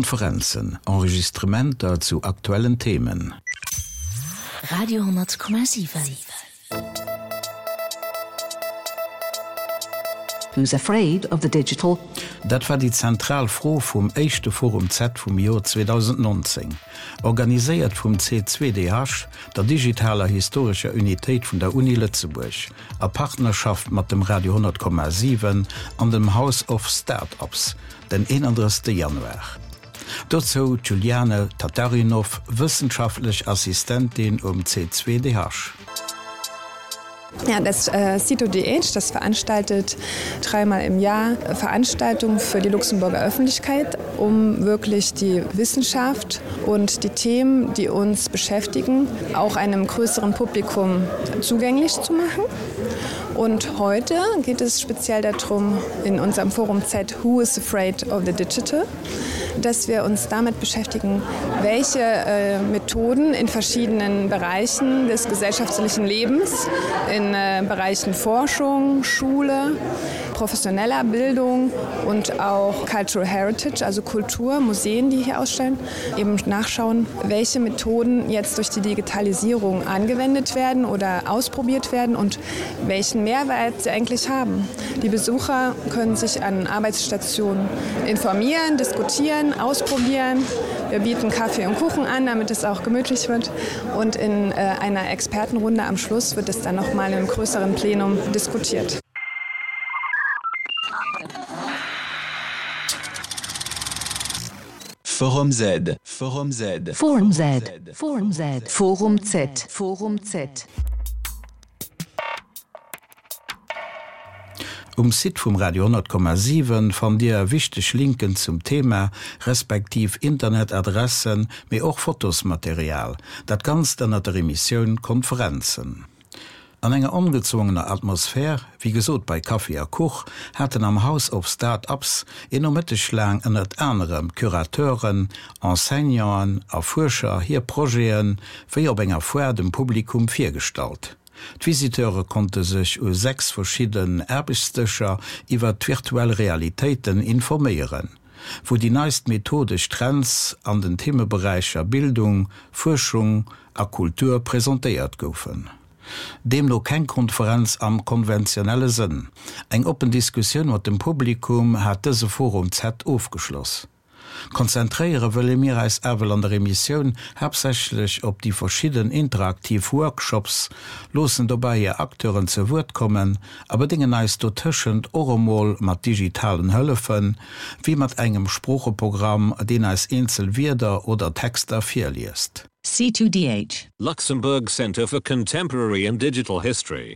Konferenzen, Enregistrementer zu aktuellen Themen. Radio 10,7. Who's afraid of the digital? Dat war déi zentral Fro vum éischte Forum Z vum Joer 2019, organiséiert vum C2DH, der digitaler historescher Unitéit vun der Uni Lëtzebuerg, a Partnerschaft mat dem Radio 10,7 an dem House of Start-ups, den 31 Januar. Dozou d'Juliane Tatarinov, wëssenschaftlech Assistentin um C2DH. Ja, das äh, CitoDH, das veranstaltet dreimal im Jahr Veranstaltungen für die Luxemburger Öffentlichkeit, um wirklich die Wissenschaft und die Themen, die uns beschäftigen, auch einem größeren Publikum zugänglich zu machen. Und heute geht es speziell darum in unserem Forum Z Who is afraid of the Digital, dass wir uns damit beschäftigen, welche äh, Methoden in verschiedenen Bereichen des gesellschaftlichen Lebens, in äh, Bereichen Forschung, Schule, professioneller Bildung und auch Cultural Heritage, also Kultur, Museen, die hier ausstellen, eben nachschauen, welche Methoden jetzt durch die Digitalisierung angewendet werden oder ausprobiert werden und welchen Mehrwert sie eigentlich haben. Die Besucher können sich an Arbeitsstationen informieren, diskutieren, ausprobieren. Wir bieten Kaffee und Kuchen an, damit es auch gemütlich wird. Und in äh, einer Expertenrunde am Schluss wird es dann noch mal im größeren Plenum diskutiert. Forum Z, Forum Z, Forum Z, Forum Z, Forum Z, Forum Z. Um Site vum Radio 10,7 fannt Dir wichteg Linken zum Thema, respektiv Internetadressen, mee och Fotosmaterial. Dat Ganzt ënnert der Emissioun Konferenzen. An enger ongezwongener Atmosphär, wéi gesot bei Kaffi a Kuch, haten am House of Start-ups een Nomëtteg laang ënnert anerem Curateuren, Enseignanten a Fuerscher hir Projete wéi op enger Foire dem Publikum virgestallt. D'Visiteure konnte sech u 6 verschidden Aarbechtsdëscher iwwer d'virtuell Realitéiten informéieren, wou déi neist methodesch Trends an den Themeberäicher Bildung, Fuerschung a Kultur presentéiert goufen. Deemno keng Konferenz am konventionelle Sënn. Eng oppen Diskussioun mat dem Publikum hat dëse Forum Z ofgeschloss. Konzentréiere wëlle mir eis ewell an der Emissioun haaptsächlech op déi verschidden interaktiv Workshops, loossen dobäi hir Acteuren ze Wuert kommen a bedéngen eis dotëschent och emol mat digitalen Hëllefen, wéi mat engem Sproocheprogramm, deen eis eenzel Wierder oder Texter virliest. C2DH. Luxembourg Centre for Contemporary and Digital History.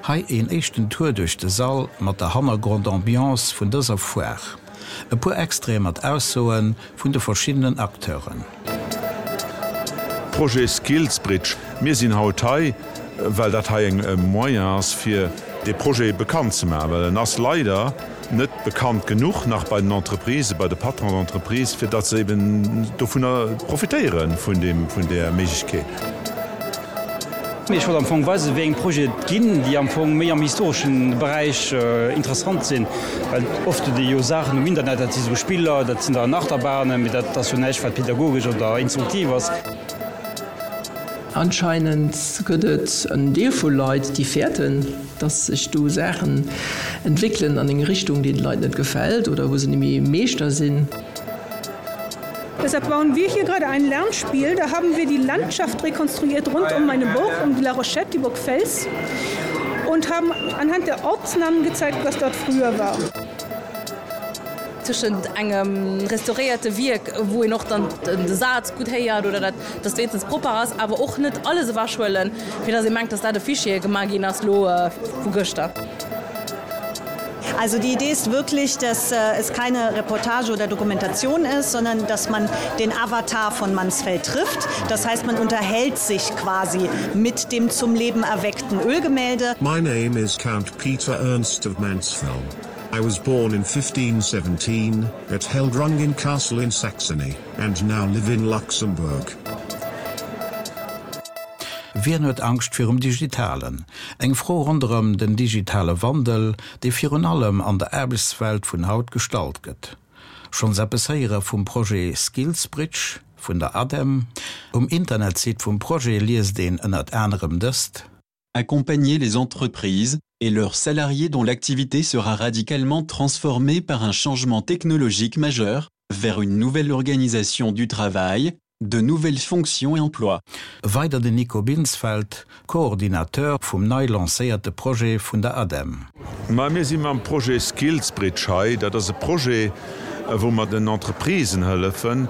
Hei een éischten Tour duerch de Sall mat der Hannergrond-Ambiance vun dëser Foire. E puer Extraite mat Aussoe vun de verschiddenen Acteuren. Projet Skillsbridge, Mir sinn haut hei, well dat hei e Moyen ass, fir dee Projet bekannt ze maachen, well en ass leider net bekannt genuch nach bei den Entreprisen, bei de Patrons d'entreprise, fir datt se eben dovunner profitéiere vun deem, vun där Méiglechkeet. Ech wollt am Fong weisen, wéi eng Projete et ginn, déi am Fong méi am historesche Beräich interessant sinn, well oft huet ee jo Saachen um Internet, dat si sou Spiller, dat sinn dann Achterbahnen, mee dat ass jo näischt, wat pädagogesch oder instruktiv ass. Anscheinend gëtt et en Deel vu Leit, déi fäerten, dass sech do Saachen entwéckelen an eng Richtung, déi de Leit net gefält oder wou se net méi Meeschter sinn. Deshalb bauen wir hier gerade ein Lernspiel. Da haben wir die Landschaft rekonstruiert rund um meine Burg, um die La Rochette, die Burg Fels und haben anhand der Ortsnamen gezeigt, was dort früher war. Tëschent engem restauréierte Wierk, wou een och dann de Saz gutt héiert oder dat dass wéinstens propper ass, awer och net alles ewechhuelen, fir dass ee mengt, dass dat e Fichier gemaach ginn ass lo vu gëschter. Also die Idee ist wirklich, dass es keine Reportage oder Dokumentation ist, sondern dass man den Avatar von Mansfeld trifft. Das heißt, man unterhält sich quasi mit dem zum Leben erweckten Ölgemälde. My name is Count Peter Ernst of Mansfeld. I was born in 1517 at Heldrungen Castle in Saxony and now live in Luxembourg. Wien huet Angscht virum Digitalen? Eng Fro ronderëm den digitale Wandel, dee virun allem an der Aarbechtswelt vun haut gestallt gëtt. Schonns eppes héiere vum Projet Skillsbridge vun der ADEM? Um Internetsite vum Projet liest een ënnert anerem dëst. Accompagner les entreprises et leurs salariés dont l'activité sera radicalement transformée par un changement technologique majeur vers une nouvelle organisation du travail, de nouvelles fonctions et emplois. Weider den Nico Binsfeld, Coordinateur vum nei lancéierte Projet vun der ADEM. Ma mir si mam Projet Skillsbridge hei. Dat ass e Projet, wou mer den Entreprisen hëllefen,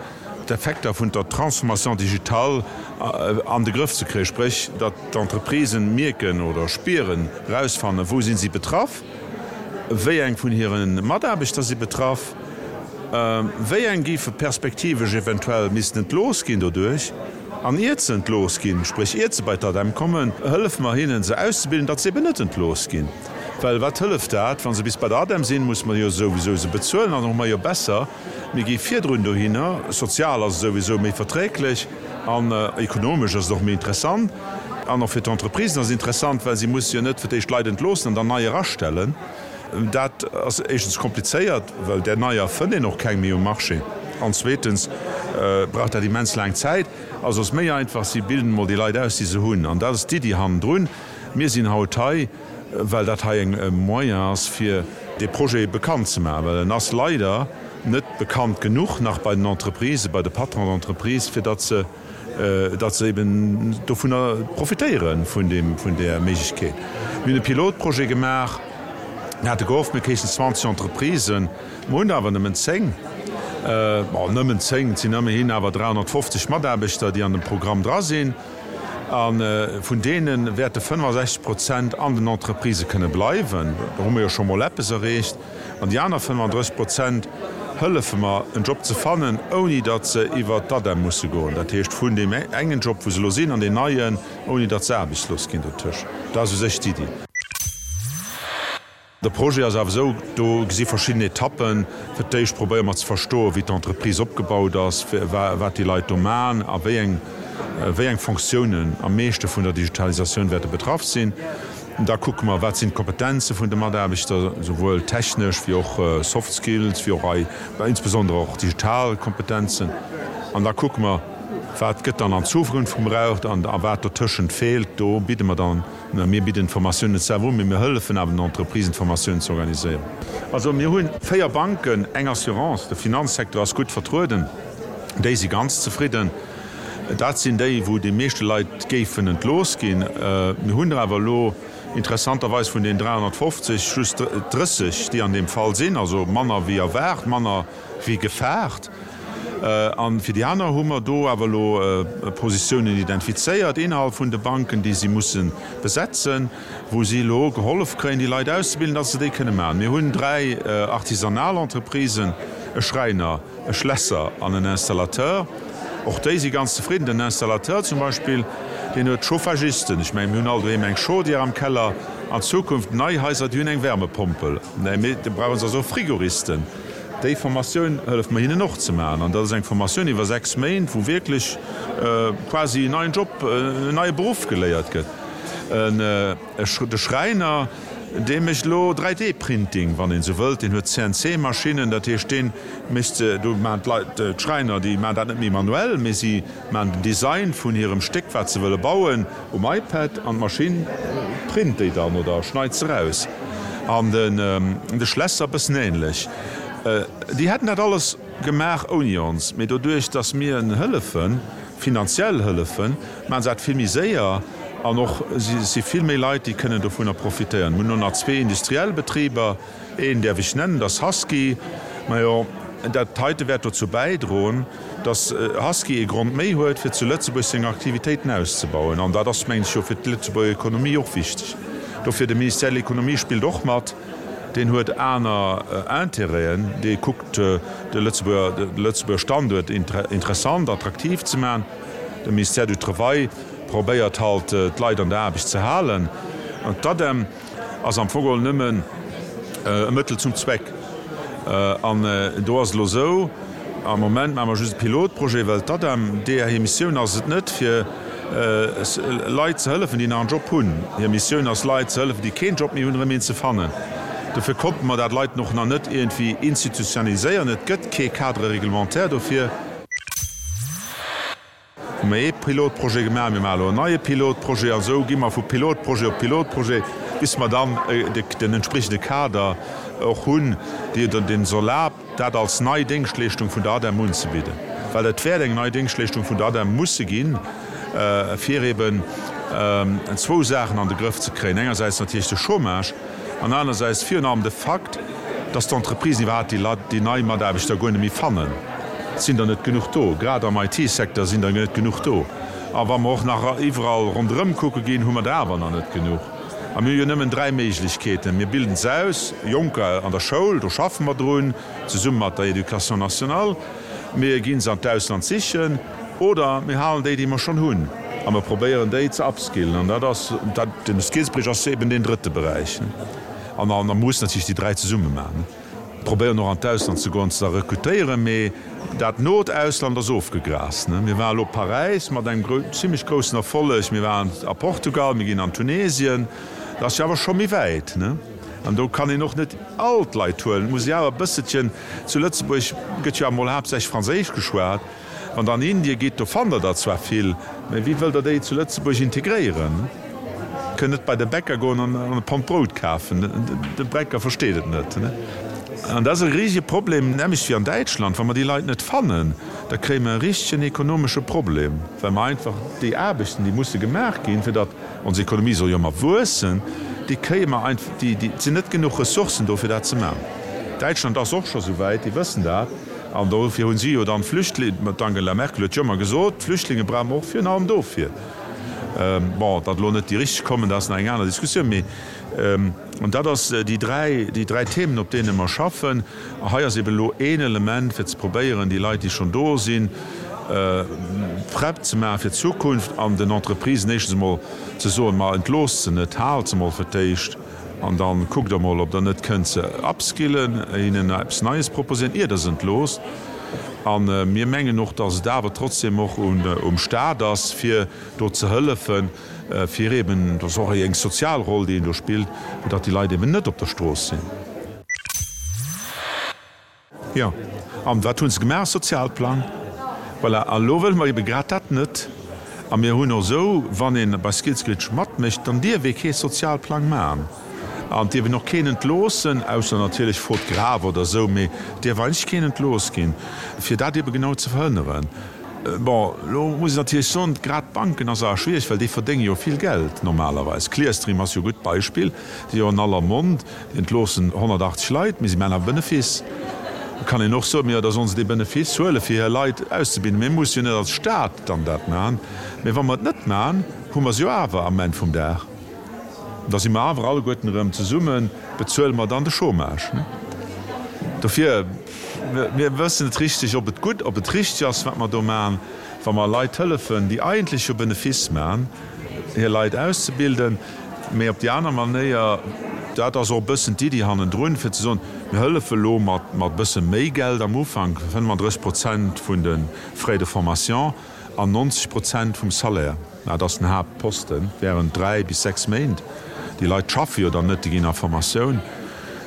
d'Effekter vun der Transformation digitale an de Grëff ze kréien, spréch datt d'Entreprisen mierken oder spieren, erausfannen, wou si si betraff, wéi eng vun hire Mataarbechter si betraff, wéi eng géife perspektivesch eventuell missten entlooss ginn doduerch. An iert se entlooss ginn, spréch iert se bei d'ADEM kommen, hëllefe mer hinnen, se auszebilden, datt se eben net entlooss ginn. Well wat hëlleft dat, wa se bis bei der ADEM sinn, musse mer jo souwisou se bezuelen an da hu mer jo besser, mir gi virdrun dohinner. Sozial ass et souwisou méi verträglech an ekonomesch ass et och méi interessant. An och fir d'Entreprisen ass et interessant, well si musse jo net fir d'éischt Leit entloossen an dann nei erastellen. Dat ass éischtens komplizéiert, well där neier fënnt een och keng méi um Marché, an zweetens brauch dat immens laang Zäit. Also ass méi einfach, si bilden emol déi Leit aus, déi se hunn. An dat ass d'Iddi hannendrun. Mir sinn haut hei, well dat hei e Moyen ass, fir dee Projet bekannt ze maachen, well en ass leider net bekannt genuch nach bei den Entreprisen, bei de Patrons d'entreprise, fir datt se, datt se eben dovunner profitéiere vun deem, vun där Méiglechkeet. Mir hunn e Pilotprojet gemaach, mir hate gehofft, mir kréichen 20 Entreprisen, mer hunn der awer nëmmen 10. Bon, nëmmen 10, et sinn ëmmerhin awer 350 Mataarbechter, déi an dem Programm dra sinn. A vun deene wäerte 65 Prozent an den Entreprisë kënne bleiwen. Do hu mer jo scho mol eppes erreecht. An déi aner 35 Prozent hëllefe mer, en Job ze fannen, ouni datt se iwwert d'ADEM musse goen. Dat heescht, vun deem engen Job, wou se elo sinn, an deen neien, ouni datt se aarbechtslos ginn dotëscht. Dat ass u sech d'Iddi. De Projet ass awer esou, do si verschidden Etappen. Fir d'éischt probéiere mer ze verstoen, wéi d'Entreprise opgebaut ass, wat déi Leit do maachen a wéi eng, wéi eng Fonctiounen am meeschte vun der Digitalisatioun wäerte betraff sinn. Da kucke mer, wat sinn d'Kompetenze vun de Mataarbechter, souwuel technesch wéi och Soft Skills, wéi och insbesondere och digital Kompetenzen. An da kucke mer, wat gëtt dann an Zukunft gebraucht an a wat dotëschent feelt. Do bidde mer dann, mir bidden d'Formatioun net selwer un, mee mir hëllefen awer den Entreprisen, d'Formatioun ze organiséieren. Also mir hu 4 Banken, eng Assurance, de Finanzsecteur ass gutt vertrueden, déi si ganz zefridden. Dat sinn déi, wou déi meeschte Leit géifen entlooss ginn. Mir hunn der awer elo interessanterweis vun den 350 just 30, déi an deem Fall sinn, also manner wéi erwaart, manner wéi gefaart. A fir déi aner hu mer do awer elo Positiounen identifizéiert innerhalb vun de Banken, déi si musse besetzen, wou si elo gehollef kréien, déi Leit auszebilden, datt se déi kënne maachen. Mir hunn dräi artisanal Entreprisen, e Schräiner, e Schlässer an en Installateur. Och déi si ganz zefridden. Den Installateur zum Beispill, deen huet Chauffagisten. Ech mengen, mir hunn all doheem eng Chaudière am Keller. An Zukunft, nei Haiser, déi hunn eng Wärmepompel. Mee da brauche se also och Frigoristen. Déi Formatioun hëlleft mer hinnen och ze maachen. An dat ass eng Formatioun iwwer 6 Méint, wou wierklech quasi en neien Job, en neie Beruff geléiert gëtt. De Schräiner, dee mécht elo 3D-Printing, wann een esou wëllt. Deen huet CNC-Maschinnen, dat heescht, dee mécht, do maachen d'Leit, d'Schräiner, déi maachen dat net méi manuell, mee si maachen den Design vun hirem Stéck, wat se wëlle bauen, um iPad an d'Maschinn print déi dann oder schneit se eraus. An de Schlässer e bëssen änlech. Déi hätten dat alles gemaach ouni ons, mee doduerch, datt mir en hëllefen, finanziell hëllefen, Maachen se dat vill méi séier an och si vill méi Leit, déi kënnen dovunner profitéieren. Mir hunn elo nach zwee industriell Betriber. Een däerf ech nennen, dat ass Husky. Majo, dat heite wäert dozou bäidroen, dass Husky ee Grond méi huet, fir zu Lëtzebuerg seng Aktivitéiten auszebauen. An dat ass, mengen ech, jo fir d'Lëtzebuerger Ekonomie och wichteg. Dofir, de Ministère de l'Économie spillt och mat. Deen huet aner Intérêten. Dee kuckt, de Lëtzebuerger Standuert interessant, attraktiv ze maachen. De Ministère du Travail probéiert halt d'Leit an der Aarbecht ze halen. An d'ADEM ass am Fong geholl nëmmen e Mëttel zum Zweck. An do ass et elo esou, am Moment maache mer just e Pilotprojet, well d'ADEM, deeër hir Missioun ass et net, fir Leit ze hëllefen, déi nach en Job hunn. Hir Missioun ass, Leit ze hëllefen, déi keen Job méi hunn, erëm een ze fannen. Dofir konnte mer dat Leiten och nach net iergendwéi institutioniséieren. Et gëtt kee Cadre réglementaire dofir. Hu mir ee Pilotprojet gemaach, mir maache elo en neie Pilotprojet an esou gi mer vu Pilotprojet op Pilotprojet, bis mer dann den entspriechende Kader och hunn, deen ons erlaabt, dat als nei Déngschtleeschtung vun der ADEM unzebidden. Well et wäert eng nei Déngschtleeschtung vun der ADEM musse ginn, fir eben zwou Saachen an de Grëff ze kréien, engersäits natierlech de Chômage an anersäits virun allem de Fakt, dass d'Entreprisen iwwerhaapt déi Leit, déi nei Mataarbechter guer net méi fannen. Et sinn der net genuch do. Grad am IT-Secteur sinn der net genuch do. A wa mer och nach iwwerall ronderëm kucke ginn, hu mer der awer nach net genuch. A mir hu jo nëmmen dräi Méiglechkeeten, Mir bilden se aus, Jonker an der Schoul, do schaffe mer drun, zesumme mat der Éducation nationale, mir gi se an d'Ausland sichen oder mir halen déi, déi mer schonn hunn, a mer probéieren déi ze upskillen. An dat ass, den Skillsbridge ass eben deen drëtte Beräich. An da mussen natierlech déi dräi zesumme maachen. Probéieren och an d'Ausland ze goen, ze rekrutéieren, mee dat not Ausland ass ofgegrast. Mir waren elo Paräis mat engem zimlech groussen Erfolleg, mir waren a Portugal, mir ginn an Tunesien, dat ass jo awer scho méi wäit. An do kann een och net all d'Leit huelen, et muss ee awer e bësselchen, zu Lëtzebuerg gëtt jo awer mol haaptsächlech Franséisch geschwat, Wann der an Indien gitt, do fannt der der zwar vill, mä wéi wëllt der déi zu Lëtzebuerg integréieren? Kënnt net bei de Bäcker goen an e Pond Brout kafen, de Bäcker versteet et net. An dat ass e riesege Problem, nämmlecht wéi an Däitschland. Wa mer déi Leit net fannen, da kréie mer e richtegen ekonomesche Problem, well mer einfach déi Aarbechten, déi musse gemaach ginn, fir datt ons Ekonomie soll jo ëmmer wuessen, déi kréie mer einfach, déi, et sinn net genuch Ressourcen do, fir dat ze maachen. Däitschland ass och scho souwäit, déi wëssen dat. An dofir hunn si jo dann d'Flüchtlinge, d'Angela Merkel huet jo ëmmer gesot, d'Flüchtlinge brauche mer och virun allem dofir. Bon, datt elo net déi richteg kommen, dat ass nach eng aner Diskussioun. Mee, an dat ass déi dräi, déi dräi Themen, op deene mer schaffen. A hei ass eben elo een Element, fir ze probéieren, déi Leit, déi schonn do sinn, prett ze maache fir d'Zukunft an den Entreprisen éischtens emol ze soen, ma entloosst se net, haalt se emol fir d'éischt. An dann kuckt der mol, ob der net kënnt se upskillen, hinnen eppes Neies proposéieren, ier der se entloosst. A mir mengen och, dass et awer trotzdem och um Stat ass, fir do ze hëllefen, fir eben, dat ass och eng sozial Roll, déi een do spillt, fir datt déi Leit eben net op der Strooss sinn. Jo, an wat hu se gemaach? Sozialplang. Voilà, a lo wëlle mer ebe grad dat net. A mir hunn och esou, wann ee bei Skillsbridge matmécht, dann dierf ee kee Sozialplang maachen an et dierf een och keen entloossen, ausser natierlech faute grave oder esou, mee et dierf eigentlech keen entlooss ginn, fir dat ebe genau ze verhënneren. Bon, lo muss een natierlech soen, grad d'Banken ass awer schwiereg, well déi verdénge jo vill Geld normalerweis. Clearstream ass jo e gutt Beispill, déi jo an aller Mond. Déi entloossen 180 Leit, mee si maachen awer Benefice. Et kann een och soen, jo, da sollen se dee Benefice huelen, fir hir Leit auszebilden. Mir musse jo net als Stat dann dat maachen. Mee wa mer et net maachen, hu mer se jo awer am Enn vum Dag. Da si mer awer alleguerten erëm zesummen, bezuele mer dann de Chômage. Dofir, mir wëssen net richteg, ob et gutt, ob et richteg ass, wat mer do maachen, wa mer Leit hëllefen, déi eigentlech jo Benefice maachen, hir Leit auszebilden. Mee op déi aner Manéier, dat ass och e bëssen d'Iddi hannendrun, fir ze soen, mir hëllefe elo mat e bësse méi Geld am Ufank, 35 Prozent vun de Frais de formation an 90 Prozent vum Salaire, dat ass den Haaptposten, während dräi bis sechs Méint. Déi Leit schaffe jo dann net, déi ginn a Formatioun.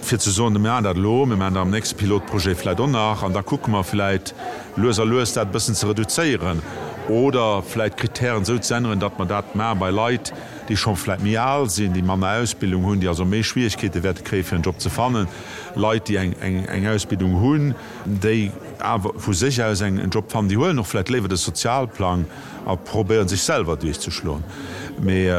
Fir ze soen, mir maachen dat elo, mir maachen dat am nächste Pilotprojet vläicht och nach an da kucke mer vläicht lues a lues dat e bëssen ze reduzéieren oder vläicht d'Kritären esou ze änneren, datt mer dat maache bei Leit, déi scho vläicht méi al sinn, déi manner Ausbildung hunn, déi also méi Schwierigkeete wäerte kréie fir en Job ze fannen, Leit, déi eng Ausbildung hunn, déi awer vu sech aus en Job fannen, déi huelen och vläicht léiwer de Sozialplang a probéiere sech selwer duerchzeschloen. Mee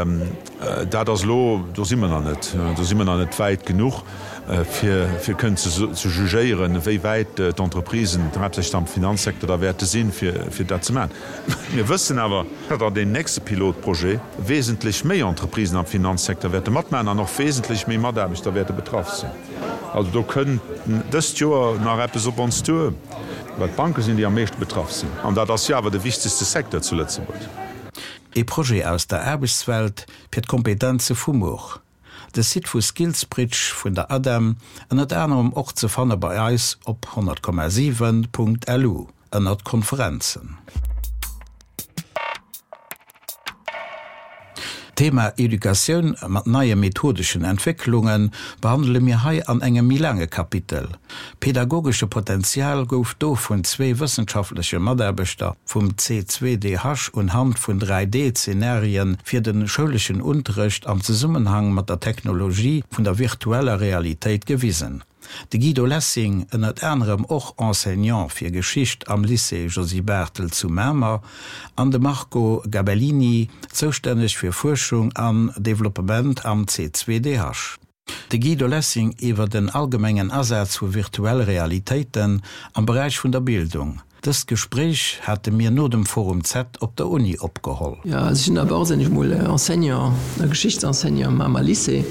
dat ass elo, do si mer nach net, do si mer nach net wäit genuch, fir kënnen ze jugéieren, wéi wäit d'Entreprisen, haaptsächlech am Finanzsecteur, da wäerte sinn, fir dat ze maachen. Mir wëssen awer, datt an deem nächste Pilotprojet wesentlech méi Entreprisen am Finanzsecteur wäerte matmaachen an och wesentlech méi Mataarbechter wäerte betraff sinn. Also do kënnt dëst Joer nach eppes op ons duer, well d'Banke sinn, déi am meeschte betraff sinn. An dat ass jo awer de wichtegste Secteur zu Lëtzebuerg. Ee Projet aus der Aarbechtswelt fir d'Kompetenze vu muer. De Site vu Skillsbridge vun der ADEM, ënnert anerem och ze fanne bei eis op 100,7.lu ënnert Konferenzen. D'Thema Educatioun mat neie methodeschen Entwécklunge behandele mir hei an engem méi laange Kapitel. Pedagogesche Potenzial gouf do vun zwee wëssenschaftleche Mataarbechter vum C2DH unhand vun 3D-Zenarien fir de schouleschen Unterrecht am Zesummenhang mat der Technologie vun der virtueller Realitéit gewisen. De Guido Lessing, ënnert anerem och Enseignant fir Geschicht am Lycée Josy Barthel zu Mamer, an de Marco Gabellini, zoustänneg fir Fuerschung an Developpement am C2DH. De Guido Lessing iwwer den allgemengen Asaz vu virtuell Realitéiten am Beräich vun der Bildung. Dëst Gespréich hate mir no dem Forum Z op der Uni opgeholl. Jo, also ech sinn d'abord sinn ech mol Enseignant, Geschichtsenseignant am Mamer Lycée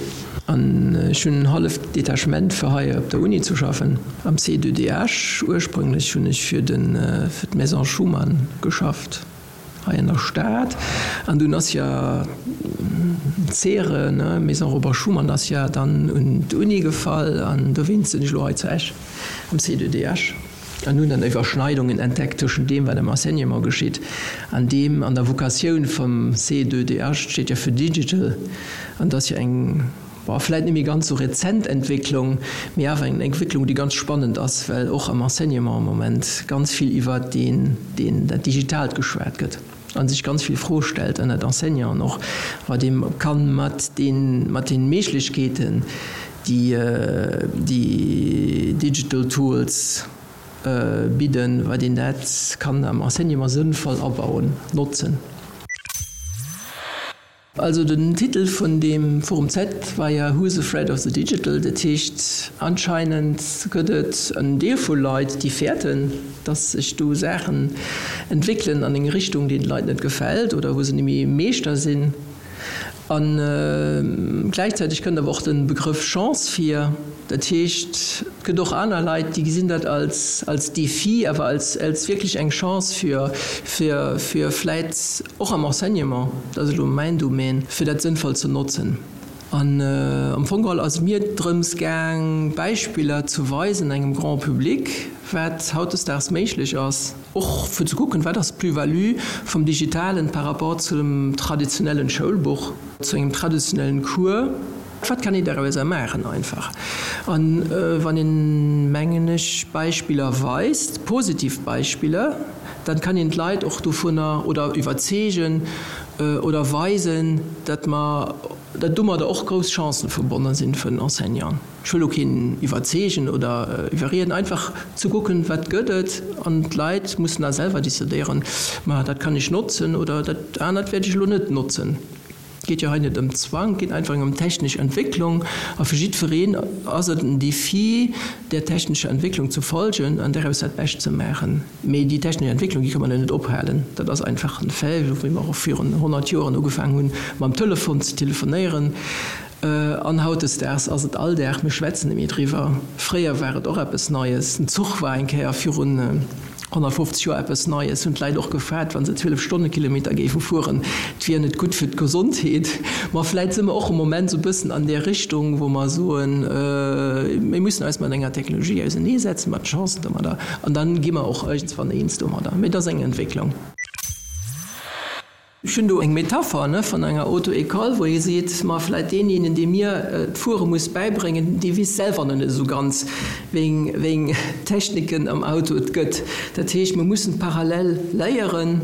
an ech hunn en halleft Detachement fir hei op der Uni ze schaffen, am C2DH. Ursprünglech hunn ech fir de fir d'Maison Schuman geschafft hei an der Stad an dunn ass jo d'Cere, ne, Maison Robert Schuman ass jo dann un d'Uni gefall an dowéinst sinn ech elo hei zu Esch am C2DH. An hunn dann Iwwerschneidungen entdeckt tëschent deem, wat am Enseignement geschitt, an deem an der Vocatioun vum C2DH, steet jo fir Digital, an dat ass jo eng, bon, vläit net méi ganz esou rezent Entwécklung, mee awer eng Entwécklung, déi ganz spannend ass, well och am Enseignement am Moment ganz vill iwwert deen, deen, dat Digitaalt geschwat gëtt a sech ganz vill Froe stellt ënnert Enseignanten och, wat ee kann mat den, mat den Méiglechkeeten, déi déi Digital Tools bidden, wat een dat kann am Enseignement sënnvoll abauen, notzen. Also den Titel vun deem Forum Z war ja Who's afraid of the digital? Dat heescht, anscheinend gëtt et en Deel vu Leit, déi fäerten, dass sech do Saachen entwéckelen an eng Richtung, déi de Leit net gefält oder wou se net méi Meeschter sinn. A gläichzäiteg kënnt awer och de Begrëff Chance vir. Dat heescht, et gëtt och aner Leit, déi gesinn dat als, als Défi, awer als, als wierklech eng Chance fir, fir, fir vläit och am Enseignement, dat ass elo mäin Domaine, fir dat sënnvoll ze notzen. An am Fong geholl ass et mir drëms gaang, Beispiller ze weisen engem Grand public, wat hautdesdaags méiglech ass. Och fir ze kucken, wat ass d'Plus-value vum Digitalen par rapport zum traditionellen Schoulbuch, zu engem traditionellen Cours, wat kann een dorauser maachen einfach. An wann een, mengen ech, Beispiller weist, positiv Beispiller, dann kann een d'Leit och dovunner oder iwwerzeegen oder weisen, datt mer, datt domadder och grouss Chancen verbonnen sinn fir den Enseignant. Ech wëll elo keen iwwerzeegen oder iwwerrieden, einfach ze kucken, wat gëtt et, an d'Leit mussen da selwer decidéieren, ma dat kann ech notzen oder dat anert wäert ech elo net notzen. Et geet jo hei net ëm Zwang, et geet einfach ëm technesch Entwécklung a fir jiddwereen ass et en Défi, där technescher Entwécklung ze folgen an däraus dat Bescht ze maachen. Mee déi technesch Entwécklung, déi ka mer net ophalen, dat ass einfach en Fait, esou wéi mer och virun 100 Joren ugefaangen hunn, mam Telefon ze telefonéieren. An hautdesdaags ass et Alldag, mir schwätzen net méi driwwer. Fréier war et och eppes Neies. Den Zuch war eng Kéier virun 150 Joer eppes Neies, hunn d'Leit och gefaart, wa se 12 Stonnekilometer géife fueren, et wier net gutt fir d'Gesondheet. Ma vläit si mer och am Moment esou e bëssen an där Richtung, wou mer soen, mir mussen eis mat enger Technologie auseneesetzen, mat de Chancen domadder, an da gi mer och iergendswann eens domadder. Mee et ass eng Entwécklung. Ech hunn do eng Metapher, ne, vun enger Auto-école, wou ee seet, ma vläit deenjenen, dee mir d'Fuere muss bäibréngen, dee weess selwer nach net esou ganz, wéi eng Techniken am Auto et gëtt. Dat heescht, mir mussen parallel léieren,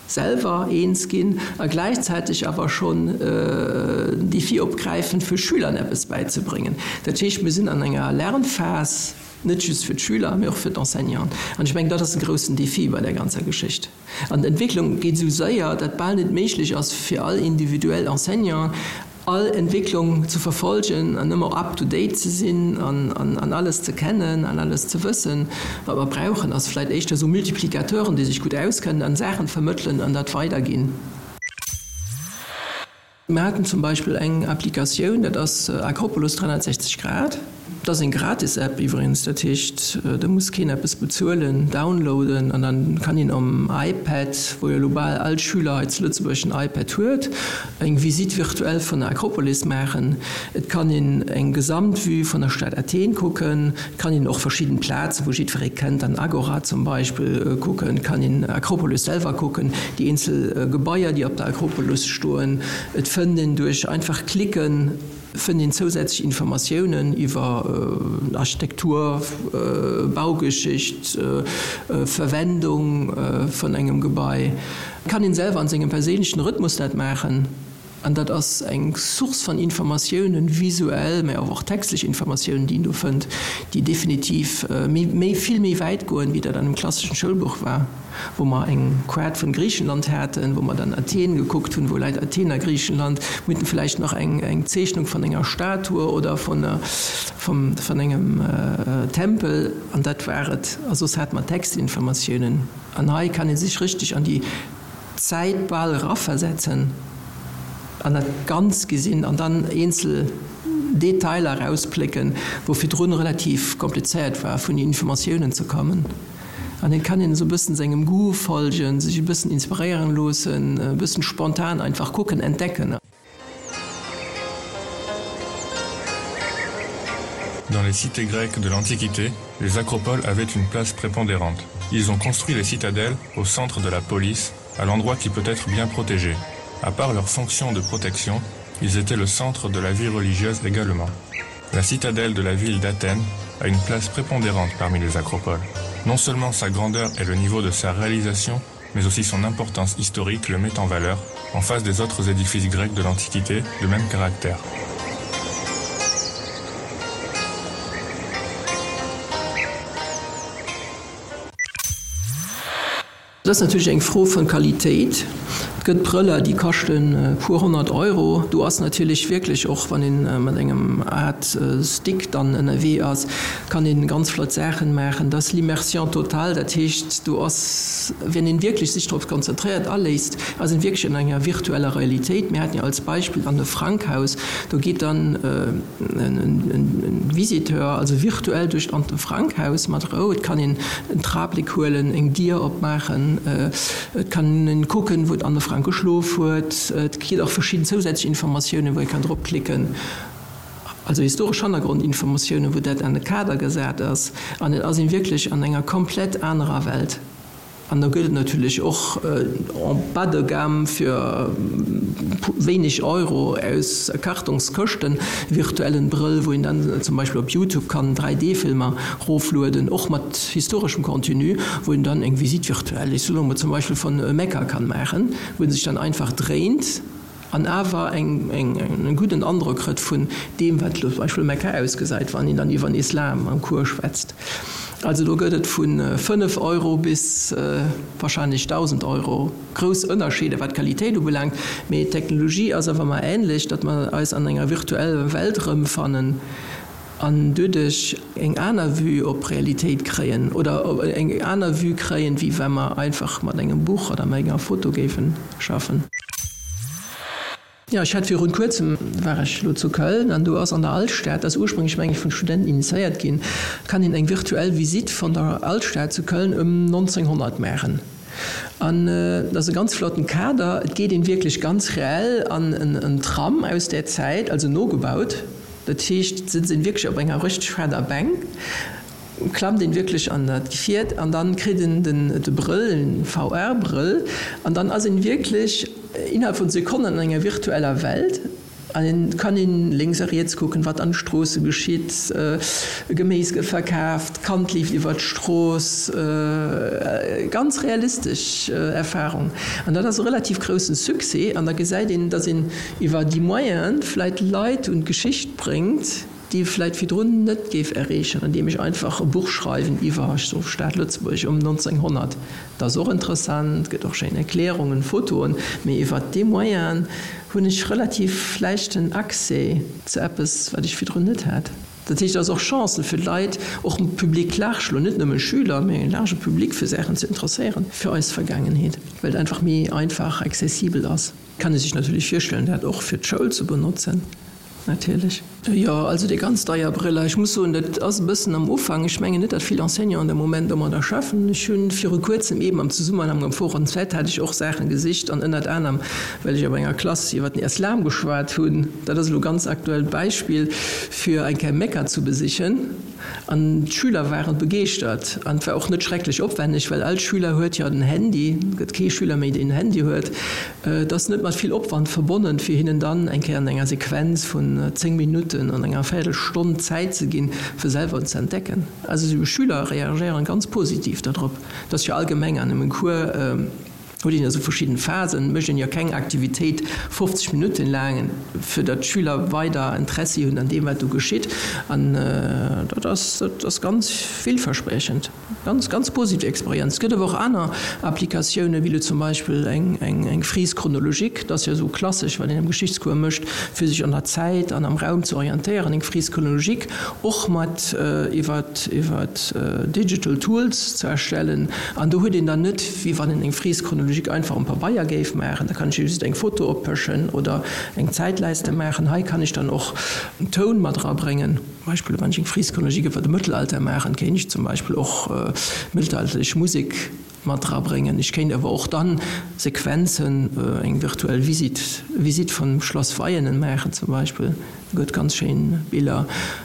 selwer eens ginn a gläichzäiteg awer schonn den Défi opgräifen, fir Schülern eppes bäizebréngen. Dat heescht, mir sinn an enger Lernphas, net just fir d'Schüler, mee och fir d'Enseignanten. An ech mengen, dat ass e groussen Défi bei där ganzer Geschicht. An d'Entwécklung geet esou séier, dat bal net méiglech ass fir all individuell Enseignant all Entwécklung ze verfolgen an ëmmer up to date ze sinn an alles ze kennen an alles ze wëssen. Wat mer brauchen, ass vläicht éischter esou Multiplicateuren, déi sech gutt auskennen an Saachen vermëttelen an dat weiderginn. Mir haten zum Beispill eng Applikatioun, dat ass Akropolis 360 Grad. Et ass eng gratis App iwwregens, dat heescht do muss keen eppes bezuelen. Downloaden an dann kann een um iPad, wou jo elo bal all Schüler hei zu Lëtzebuerg en iPad huet, eng Visite virtuelle vun der Akropolis maachen. Et kann een eng Gesamtvue vun der Stad Athen kucken. Et kann een och verschidden Plazen, wou jiddweree kennt, an Agora zum Beispill kucken. Et kann een Akropolis selwer kucken, déi eenzel Gebaier, déi op der Akropolis stoen. Et fënnt een duerch einfach Klicken fënnt een zousätzlech Informatiounen iwwer Architektur, Baugeschicht, Verwendung vun engem Gebai. Kann een selwer an sengem perséinlechen Rhythmus dat maachen. An dat ass eng Source van Informatiounen, visuell, mä awer och textlech Informatiounen, déi een do fënnt, déi definitiv méi, vill méi wäit goen, wéi dat an engem klasseschen Schoulbuch war, wou mer eng Kaart vun Griichenland haten, wou mer dann Athen gekuckt hunn, wou läit Athen a Griichenland, mir haten vläicht nach eng, eng Zeechnung vun enger Statue oder vun, vum, vun engem Tempel, an dat war et. A soss hate mer Textinformatiounen. An hei kann ee sech richteg an déi Zäit bal eraversetzen an dat Ganz gesinn an dann eenzel Detailer erausplécken, wou virdrun relativ komplizéiert war, vun Informatiounen ze kommen. An et kann een esou e bëssen sengem Goût folgen, sech e bëssen inspiréieren loossen, e bëssen spontan einfach kucken, entdecken. Dans les cités grecques de l'Antiquité, les acropoles avaient une place prépondérante. Ils ont construit les citadelles au centre de la police, à l'endroit qui peut être bien protégé. À part leur fonction de protection, ils étaient le centre de la vie religieuse également. La citadelle de la ville d'Athènes a une place prépondérante parmi les acropoles. Non seulement sa grandeur et le niveau de sa réalisation, mais aussi son importance historique le met en valeur en face des autres édifices grecs de l'Antiquité de même caractère. Dat ass natierlech eng Fro vun Qualitéit. Et gëtt Brëller, déi kaschten e puer 100 Euro. Do ass natierlech wierklech, och wann ee mat engem Art Stick dann ënnerwee ass, kann een ganz flott Saachen maachen. Dat ass l'immersion totale, dat heescht, do ass, wenn een wierklech sech drop konzentréiert, aléisst, ass een wierklech an enger virtueller Realitéit. Mir haten jo als Beispill d'Anne Frank Haus, do geet dann en Visiteur also virtuell duerch d'Anne Frank Haus mat Rou. Et kann een en Trabléck huelen, eng Dier opmaachen, et kann een kucken, wou d'Anne Frank geschlof huet. Et kritt och verschidden zousätzlech Informatiounen, wou ee kann drop klicken, also historesch Hannergrondinformatiounen, wou dat an e Kader gesat ass. An et ass een wierklech an enger komplett anerer Welt. An da gëtt et natierlech och en bas de gamme fir wéineg Euro aus Kartongskëschten virtuellen Brëll, wou een dann zum Beispill op Youtube kann 3D-Filmer roflueden, och mat historeschem Contenu, wou een dann eng Visite virtuelle, ech soen elo mol zum Beispill vun Mekka kann maachen, wou een sech dann einfach dréint. An awer eng gudden Androck kritt vun deem, wat elo zum Beispill Mekka ausgesäit, wann een dann iwwer den Islam am Cours schwätzt. Also do gëtt et vu 5 Euro bis wahrscheinlech 1.000 Euro grouss Ënnerscheeder, wat d'Qualitéit ubelaangt. Mee d'Technologie ass awer ëmmer änlech, datt mer eis an enger virtueller Welt erëmfannen. An doduerch eng aner Vue op d'Realitéit kréien oder eng aner Vue kréien, wéi wa mer einfach mat engem Buch oder mat enger Foto géife schaffen. Jo, ech hat virun kuerzem, war ech elo zu Köln an do ass an der Alstad, dat ass ursprénglech meng ech vun Studenten initiéiert ginn, kann een eng virtuell Visite vun der Alstad zu Köln ëm 1900 maachen. An et ass e ganz flotten Kader, et geet een wierklech ganz reell an en Tram aus där Zäit, also nogebaut. Dat heescht, et sëtzt een wierklech op enger rëchteg fetter Bänk, klammt een wierklech an dat Gefiert an dann kritt een den de Brëll, en VR-Brëll, an dann ass een wierklech innerhalb vun Sekonnen an enger virtueller Welt an een kann een lénks a riets kucken, wat an de Stroosse geschitt, Geméis gëtt verkaaft, d'Kand leeft iwwert d'Strooss, ganz realistesch Erfahrung. An dat ass e relativ groussen Succès an da gesäit een, dass een iwwer déi Moyenen vläit Leit un d'Geschicht bréngt, déi ee vläit virdrun net géif erreechen, andeem ech einfach e Buch schreiwen iwwer, ech soe Stad Lëtzebuerg ëm 1900. Dat ass och interessant, gëtt och schéin Erklärungen, Fotoen, mee iwwer dee Moyen hunn ech relativ leichten Accès zu eppes, wat ech virdrun net hat. Dat heescht, et ass och Chancen fir d'Leit, och dem Public large, elo net nëmme Schüler, mee e large Public fir Saachen ze interesséieren, fir eis Vergaangenheet, well et einfach méi einfach accessibel ass. Kann ee sech natierlech virstellen, dat och fir d'Schoul ze benotzen. Natierlech. Jo, also déi ganz deier Brëller. Ech muss soen, dat ass e bëssen am Ufank. Ech mengen net, datt vill Enseignanten am Moment domadder schaffen. Ech hu viru kuerzem eeben am Zesummenhang mam Forum Z hat ech och Saache gesicht an ënnert anerem, well ech op enger Klass iwwer den Islam geschwat hunn, dat ass elo e ganz aktuellt Beispill, fir eng Kéier Mekka zu besichen. An d'Schüler waren begeeschtert. An et war och net schrecklech opwenneg, well all Schüler huet jo en Handy, et gëtt kee Schüler méi, deen en Handy huet. Et ass net mat vill Opwand verbonnen, fir hinnen dann eng Kéier an enger Sequenz vun 10 Minutten, an enger Véierelstonn Zäit ze ginn, fir selwer ze entdecken. Also Schüler reagéieren ganz positiv dodrop. Et ass jo allgemeng an engem Cours, huet een jo esou verschidden Phasen, mécht een jo keng Aktivitéit 50 Minutten laang, fir datt d'Schüler weider Interessi hunn an deem, wat do geschitt. An dat ass, dat ass ganz villverspriechend. Ganz, ganz positiv Experienz. Et gëtt awer och aner Applikatiounen, wéi elo zum Beispill eng, eng, eng Frise chronologique. Dat ass jo esou klassesch, wat een am Geschichtscours mécht, fir sech an der Zäit an am Raum ze orientéieren. Eng Frise chronologique och mat iwwer, iwwer digital tools ze erstellen. An do huet een dann net, wéi wann een eng Frise chronologique einfach um Pabeier géif maachen, da kann ech jo just eng Foto oppëschen oder eng Zäitleiste maachen. Hei kann ech dann och Toun mat erabréngen. Beispill, wann ech eng Frise chronologique iwwer de Mëttelalter maachen, kéint ech zum Beispill och mëttelalterlech Musek mat drabréngen. Ech kéint awer och dann Sequenzen, eng virtuell Visite, Visite vum Schlass Veianen maachen zum Beispill. Do gëtt ganz schéin Biller.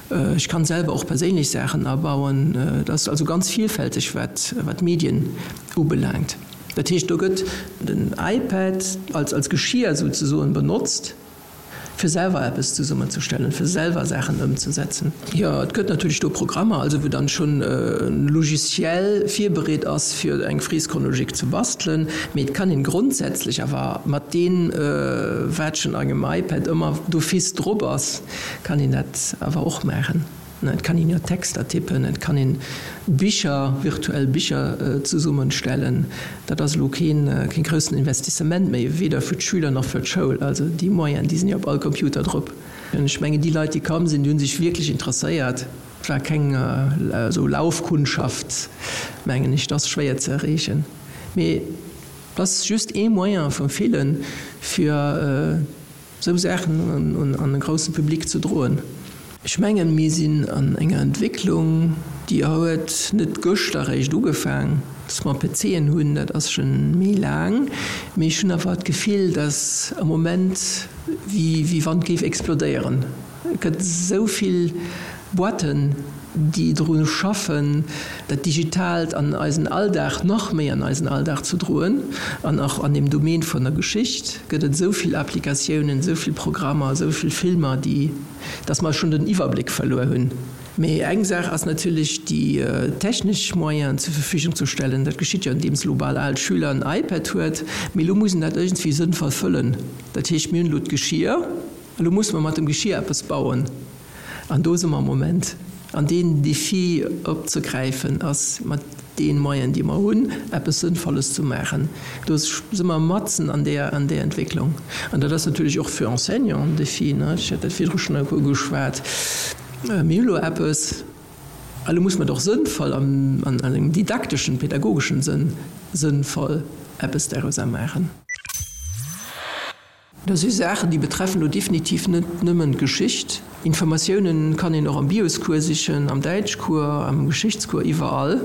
Ech kann selwer och perséinlech Saachen abauen. Et ass also ganz vielfälteg wat wat d'Medien ubelaangt. Dat heescht, do gëtt den iPad als als Geschier souzesoen benotzt. fir selwer eppes zesummenzestellen, fir selwer Saachen ëmzesetzen. Jo, et gëtt natierlech do Programmer, also wou dann schonn e Logiciel virbereet ass, fir eng Frise chronologique ze bastelen, mee et kann een grondsätzlech awer mat deem, wat schonn engem iPad ëmmer d'office drop ass, kann een dat awer och maachen. Et kann een jo Texter tippen, et kann een Bicher, virtuell Bicher zesummenstellen. Dat ass elo keen groussen Investissement méi, weder fir d'Schüler nach fir d'Schoul. Also déi Moyenen, déi sinn jo op all Computer drop. Ech mengen, déi Leit, déi komm sinn, déi hu sech wierklech interesséiert. Et war keng esou Laufkundschaft, mengen ech. Dat ass schwéier ze erreechen. Mee et ass just ee Moyen vu villen, fir Esou Saachen an e grousse Public ze droen. Ech mengen, mir sinn an enger Entwécklung, déi huet net gëschter eréischt ugefaang. Dass mer PCen hunn, dat ass scho méi laang. Mee ech hunn awer d'Gefill, dass am Moment, wéi wann et géif explodéieren. Et gëtt esou vill Boîten, déi dru schaffen, dat Digitaalt an eisen Alldag, nach méi an eisen Alldag ze droen. An och an deem Domaine vun der Geschicht gëtt et esou vill Applikatiounen, esou vill Programmer, esou vill Filmer, déi, dass mer schonn den Iwwerbléck verluer hunn. Mee eng Saach ass natierlech, déi technesch Moyenen zur Verfügung ze stellen. Dat geschitt jo, andeems elo bal all Schüler en iPad huet. Mee elo muss en dat iergendwéi sënnvoll fëllen. Dat heescht, mir hunn elo d'Geschier. Elo musse mer mat dem Geschier eppes bauen. An do si mer am Moment. An deen Défi opzegräifen ass, mat deene Moyenen, déi mer hunn, eppes Sënnvolles ze maachen. Do si mer matzen an där, an där Entwécklung. An dat ass natierlech och fir Enseignanten en Défi, ne? Ech hat dat virdru schonn e puer ugeschwat. Mir hu lo eppes, a lo musse mer et och sënnvoll an, an engem didakteschen, pedagogeschen Sënn sënnvoll eppes dorauser maachen. Dat si Saachen, déi betreffen elo definitiv net nëmmen d'Geschicht. Informatiounen kann een och am Bioscours sichen, am Däitschcours, am Geschichtscours, iwwerall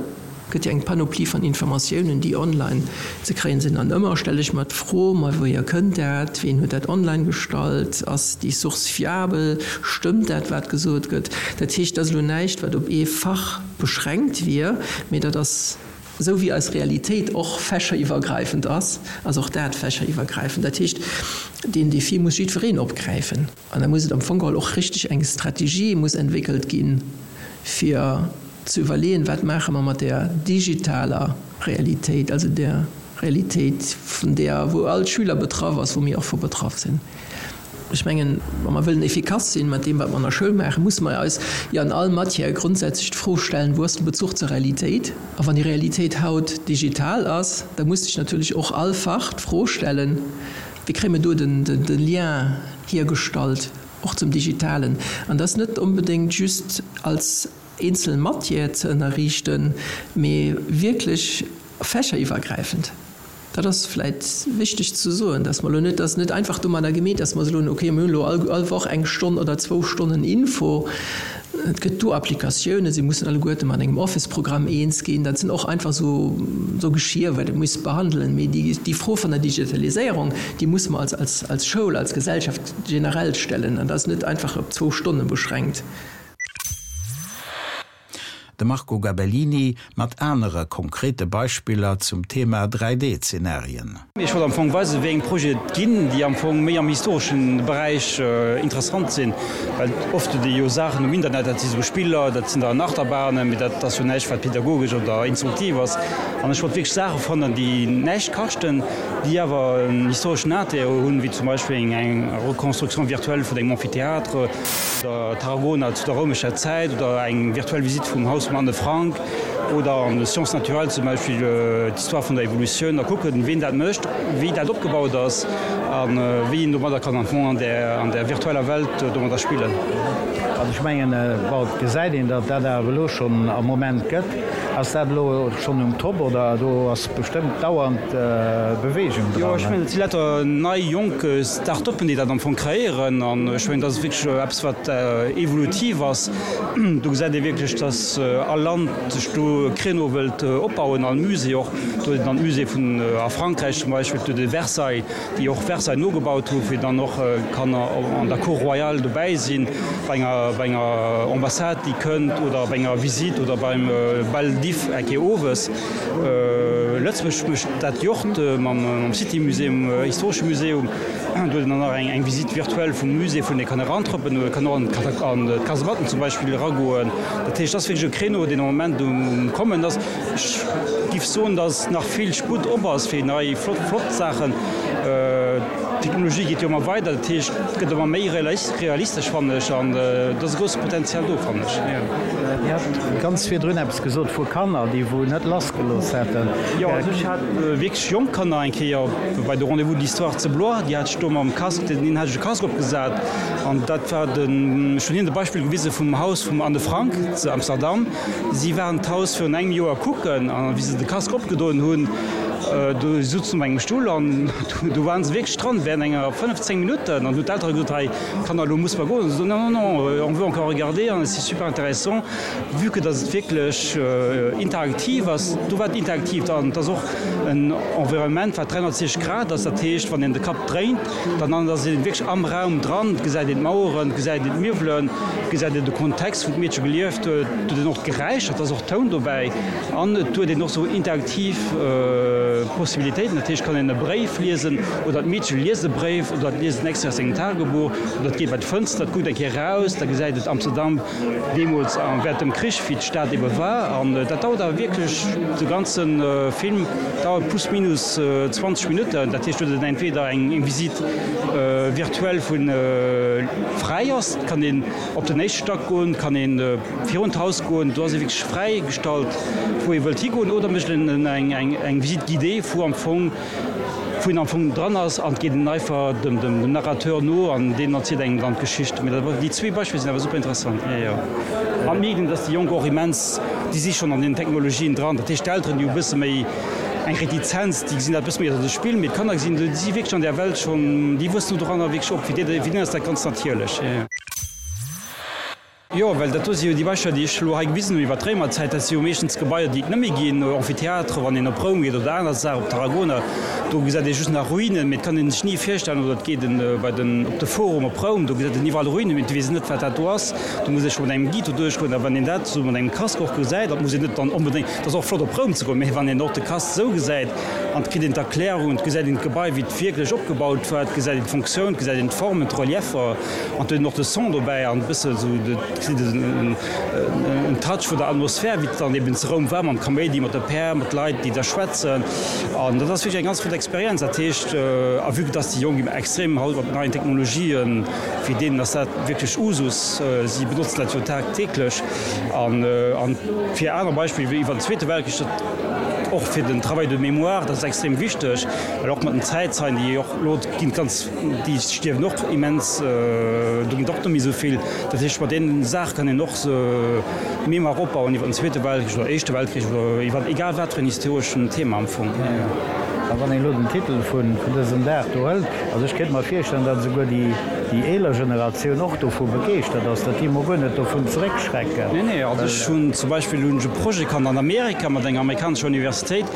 gëtt jo eng Panoplie van Informatiounen, déi online ze kréien sinn. An ëmmer stelle ech mer d'Fro, ma wouhier kënnt dat, ween huet dat online gestallt, ass déi Source fiabel, stëmmt dat, wat gesot gëtt? Dat heescht, dat ass elo näischt, wat op ee Fach beschränkt wier, mee dat ass Esou wéi eis Realitéit och fächeriwwergräifend ass, ass och dat fächeriwwergräifend. Dat heescht, deen Défi muss jiddwereen opgräifen. An da muss et am Fong geholl och richteg eng Strategie muss entwéckelt ginn, fir ze iwwerleeën, wat maache mer mat där digitaler Realitéit, also där Realitéit, vun där, wou all Schüler betraff ass, wou mir och vu betraff sinn. Ech mengen, wa mer wëllen efficace sinn mat deem, wat mer an der Schoul maachen, musse mer eis jo an all Matière grondsätzlech d'Fro stellen, Wou ass de Bezuch zur Realitéit? A wann déi Realitéit haut digital ass, da muss sech natierlech och all Fach d'Fro stellen, Wéi kréie mer do de Lien hiergestallt och zum Digitalen? An dat ass net onbedéngt just als eenzel Matière ze ënnerriichten, mee wierklech fächeriwwergräifend. Dat ass vläit wichteg ze soen, dass mer elo net, dass net einfach domadder gemeet, dass mer soen, okay, mir hunn elo all all Woch eng Stonn oder zwou Stonnen Info. Et gëtt do Applikatiounen, si mussen alleguerte mat engem Office-Programm eens ginn. Dat sinn och einfach esou esou Geschier, wat ee muss behandelen. Mee déi déi Fro vun der Digitaliséierung, déi muss mer als als als Schoul, als Gesellschaft generell stellen. An dat ass net einfach op zwou Stonne beschränkt. De Marco Gabellini mat anere konkrete Beispiller zum Thema 3D-Zenarien. Ech wollt am Fong weisen, wéi eng Projete et ginn, déi am Fong méi am historesche Beräich interessant sinn. Well oft huet ee jo Saachen um Internet, dat si sou Spiller, dat sinn dann Achterbahnen, mee dat ass jo näischt, wat pädagogesch oder instruktiv ass. An ech wollt wierklech Saache fannen, déi näischt kaschten, déi awer en historeschen Intérêt hunn, wéi zum Beispill eng Reconstruction virtuelle vun engem Amphithéâtre, oder Tarragona zu der roumescher Zäit oder eng virtuell Visite vum Haus vum Anne Frank oder an de Sciences naturelles zum Beispill d'Histoire vun der Evolutioun a kucken, ween dat mécht, wéi dat opgebaut ass a wéi een domadder kann am Fong an där an där virtueller Welt domadder spillen. Also ech mengen, bon, et gesäit een, datt dat awer elo schonn am Moment gëtt. Ass dat elo schonn um Top oder do ass bestëmmt dauernd Beweegung dran? Jo, ech mengen, et si lauter nei, jonk Start-uppen, déi dat am Fong kreéieren. An ech mengen, dat ass wierklech eppes, wat evolutiv ass. Do gesäit ee wierklech, datt all Land sech do e Créneau wëllt opbauen, all Musée och. Do huet een dann d'Musée vun a Frankräich zum Beispill, do de Versailles, déi och Versailles nogebaut hu fir dann och kann an der Cour royale dobäi sinn bei enger bei enger Ambassade déi kënnt oder bei enger Visite oder beim Bal d'If eng Kéier owes. Lëtzebuerg mécht dat jo och mam City Museum, historesche Museum. Do huet een dann nach eng eng Visite virtuelle vum Musée vun ee kann erantrëppen oder kann och an d'Kasematten zum Beispill eragoen. Dat heescht, dat ass wierklech e Créneau deen am Moment um kommen ass. Ech giff soen, dass nach vill Sputt op ass fir nei flott flott Saachen. D'Technologie geet jo ëmmer weider, dat heescht et gëtt ëmmer méi realistesch fannen ech an et ass e grousse Potenzial do fannen ech. Dir hat ganz virdrun eppes gesot vu Kanner, déi wou net lassgelooss hätten. Jo, also ech hat wierklech jonk Kanner eng Kéier bei de Rendez-vous de l'Histoire zu Blois, déi hat ech do mam Casque, deenen hat ech e Casque opgesat an dat war den, ech hunn hinnen de Beispill gewise vum Haus vum Anne Frank zu Amsterdam. Si waren d'Haus virun engem Joer kucken an wéi se de Casque opgedoen hunn, do souzen op engem Stull an do waren se wierklech dran während enger 15 Minutten an hunn d'Eltere gesot, hei Kanner, elo musse mer goen. An se soen, non, non, non, on veut encore regarder an c'est super intéressant. Vue que dass et wierklech interaktiv ass, do war et interaktiv an et ass och en Environnement wat 360 Grad ass, dat heescht wann een de Kapp dréint, Dann ass een wierklech am Raum dran, et gesäit een d'Maueren, et gesäit een d'Miwwelen, et gesäit een de Kontext, wou d'Meedche gelieft huet, et huet een och d'Geräischer, et ass och Toun dobäi an et huet een och sou interaktiv Possibilitéiten. Dat heescht, et kann een e Bréif liesen oder d'Meedche liest e Bréif oder et liest en Extrait aus sengem Tagebuch oder et geet bei d'Fënster, et kuckt eng Kéier eraus, da gesäit et Amsterdam. Deemools a während dem Krich, wéi d'Stad ebe war. An dat dauert awer wierklech, de ganze Film dauert plus minus 20 Minutten. Dat heescht, do huet een entweder eng Visite virtuelle vu fräi ass, et kann een op den éischte Stack goen, et kann ee virun d'Haus goen, do ass ee wierklech fräi gestallt, wou ee wëllt higoen, oder mécht een eng Visite guidée, wou am Fong wou een am Fong dran ass an et geet een einfach dem dem Narrateur no an deen erzielt engem dann d'Geschicht. Mee dat déi zwee Beispiller sinn awer super interessant. Jo, jo. An mierkt een, dass déi Jonk och immens, déi si schonn an den Technologien dran. Dat heescht d'Elteren, déi hu bësse méi eng Retizenz, déi gesinn dat bësse méi als e Spill, mee d'Kanner gesinn, déi si wierklech an där Welt schonn, déi wuessen do dranner wierklech op. Fir déi, fir déi ass dat ganz natierlech. Jo, jo. Jo, well dat do si jo déi Beispiller, déi ech elo hei gewisen hunn iwwer d'Réimerzäit, dat si jo meeschtens Gebaier, déi et net méi ginn, Amphithéâtre, wann een op Roum geet oder aner Saachen, op Tarragona, do gesäit ee just nach Ruinen, mee et kann ee sech ni virstellen, oder et geet en bei den, op de Forum op Roum, do gesäit een iwwerall Ruinen, mee et weess een net, wat dat do ass. Do muss ee scho mat engem Guide do duerchgoen. A wann een dat esou mat engem Casque och gesäit, dat muss een net dann onbedéngt, et ass och flott op Roum ze goen, mee wann een och de Casque esou gesäit an et kritt een d'Erklärung, et gesäit een d'Gebai, wéi et wierklech opgebaut war, et gesäit een d'Funktioun, et gesäit een d'Formen, d'Relieffer, An et huet een och de Son dobäi an e bësse sou de en Touch vun der Atmosphär, wéi et dann eben zu Roum war, mam Kaméidi, mat de Päerd, mat Leit, déi da schwätzen. An dat ass wierklech eng ganz flott Experienz. Dat heescht, a vue que dass déi Jonk extrem haut mat neien Technologien, fir deenen ass dat wierklech Usus, si benotzen dat jo tagtäglech. An fir aner Beispiller wéi iwwer den Zweete Weltkrich, dat och fir den Travail de mémoire, dat ass extrem wichteg, well och mat den Zäitzeien, déi och elo ginn ganz, Déi stierwen och immens, do ginn et och net méi esou vill. Dat heescht, mat deenen Saache kann een och Mémoire opbauen iwwer den Zweete Weltkrich oder Éischte Weltkrich oder iwwer egal wat fir en historeschen Thema am Fong. A wann een elo den Titel vun dësem Dag do hëlt, also ech kéint mer virstellen, datt esouguer déi déi eeler Generatioun och dovu begeeschtert ass, datt déi emol guer net dovun zeréckschrecken. Nee, nee, also ech hunn zum Beispill hunn ech e Projet kannt an Amerika mat enger amerikanescher Universitéit,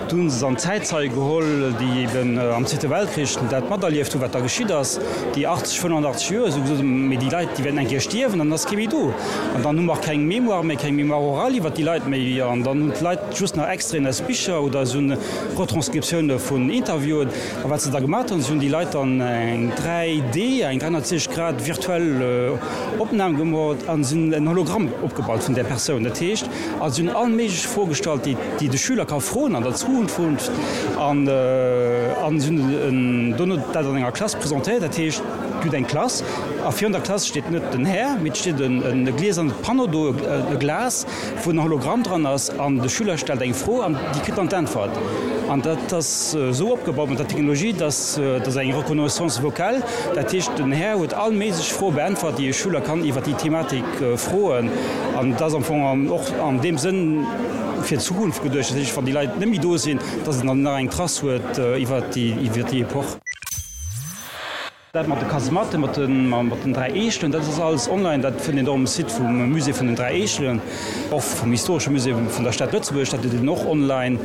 do hunn se dann Zäitzeie geholl, déi eben am Zweete Weltkrich dat materlieft hunn, wat da geschitt ass, déi 80, 85 Joer, esou gesot, mee déi Leit, déi wäerten eng Kéier stierwen, dann ass kee méi do an dann hu mer keng Mémoire méi, keng Mémoire orale iwwert déi Leit méi an dann hunn d'Leit just nach Extraiten aus Bicher oder esou Retranscriptioune vun Interviewen. A wat se da gemaat hunn, se hunn déi Leit dann eng 3D, eng 360 Grad virtuell Opnam gemoolt a se hunn en Hologramm opgebaut vun där Persoun. Dat heescht, a se hunn all méiglech Froe gestallt, déi déi de Schüler ka froen an der Zukunft an a se hunn dono dat an enger Klass presentéiert. Dat heescht, du hutt eng Klass a virun der Klass steet net den Här, mee et steet e glieserne Panneau do, e Glas, wou en Hologramm dran ass an de Schüler stellt eng Fro an déi kritt dann d'Äntwert. An dat ass esou opgebaut mat der Technologie, dass dat ass eng Reconnaissance vocale, dat heescht den Här huet all méiglech Froe beäntwert, déi e Schüler kann iwwer déi Thematik froen. An dat ass am Fong och an deem Sënn fir d'Zukunft geduecht, dat heescht wann déi Leit net méi do sinn, dass een dann nach eng Trace huet iwwer déi Epoch. Dat mat de Kasematten, mat den 3 Eechelen, dat ass alles online. Dat fënnt een och um Site vum Musée vun den 3 Eechelen, och vum Historesche Musée vun der Stad Lëtzebuerg, dat huet een och online.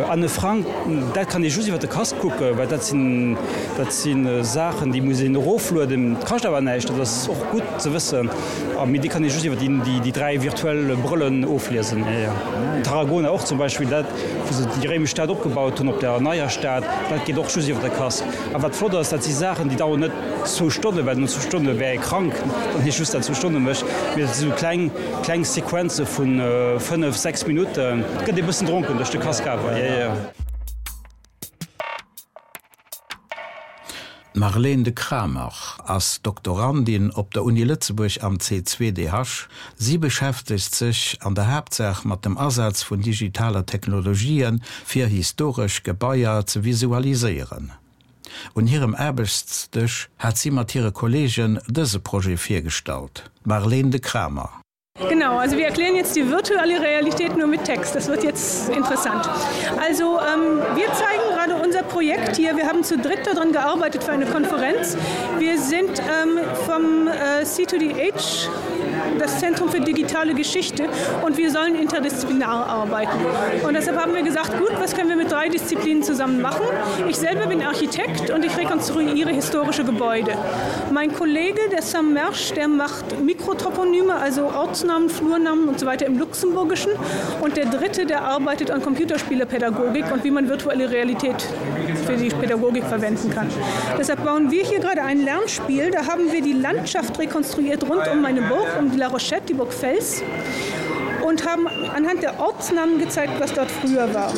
Anne Frank, dat kann ee just iwwer de Casque kucken, well dat sinn, dat si Saachen, déi muss een eroflueden. Dat kascht awer näischt, dat ass och gutt ze wëssen. A mee déi kann ee just iwwer déi 3 virtuell Brëllen ofliesen. Tarragona och zum Beispill, dat wou se déi réimesch Stad opgebaut hunn op der neier Stad, dat geet och just iwwer de Casque. A wat flott ass, dat si Saachen, déi daueren net zwou Stonnen, well no zwou Stonne wär ee krank, wann ee just dat zwou Stonne mécht, mee dat si sou kleng, kleng Sequenze vu 5, 6 Minutten. Et gëtt ee bëssen dronken duerch de Casque awer, jo, jo. D'Marlene de Kramer ass Doktorandin op der Uni Lëtzebuerg am C2DH. Si beschäftegt sech an der Haaptsaach mat dem Asaz vun digitaler Technologië fir historesch Gebaier ze visualiséieren. Un hirem Aarbechtsdësch hat si mat hire Kolleegen dëse Projet virgestallt. Marlene de Kramer. Genau, also wir erklären jetzt die virtuelle Realität nur mit Text. Das wird jetzt interessant. Also ähm, wir zeigen gerade unser Projekt hier. Wir haben zu dritt daran gearbeitet für eine Konferenz. Wir sind ähm, vom äh, C2DH, das Zentrum für digitale Geschichte und wir sollen interdisziplinar arbeiten. Und deshalb haben wir gesagt, gut, was können wir mit drei Disziplinen zusammen machen? Ich selber bin Architekt und ich rekonstruiere historische Gebäude. Mein Kollege, der Sam Mersch, der macht Mikrotoponyme, also Ortsnamen, Flurnamen und so weiter im Luxemburgischen. Und der dritte, der arbeitet an Computerspielepädagogik und wie man virtuelle Realität für die Pädagogik verwenden kann. Deshalb bauen wir hier gerade ein Lernspiel. Da haben wir die Landschaft rekonstruiert rund um meine Burg, um die La Rochette, die Burg Fels und haben anhand der Ortsnamen gezeigt, was dort früher war.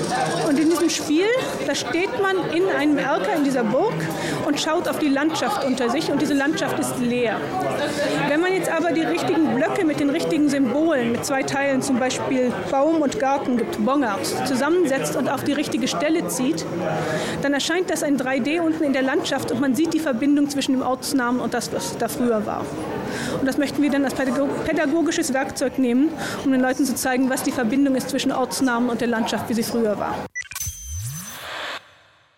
Und in diesem Spiel, da steht man in einem Erker in dieser Burg und schaut auf die Landschaft unter sich und diese Landschaft ist leer. Wenn man jetzt aber die richtigen Blöcke mit den richtigen Symbolen mit zwei Teilen, zum Beispiel Baum und Garten gibt Bongert, zusammensetzt und auf die richtige Stelle zieht, dann erscheint das ein 3D unten in der Landschaft und man sieht die Verbindung zwischen dem Ortsnamen und das, was da früher war. Und das möchten wir dann als pädagogisches Werkzeug nehmen, um den Leuten zu zeigen, was die Verbindung ist zwischen Ortsnamen und der Landschaft, wie sie früher war.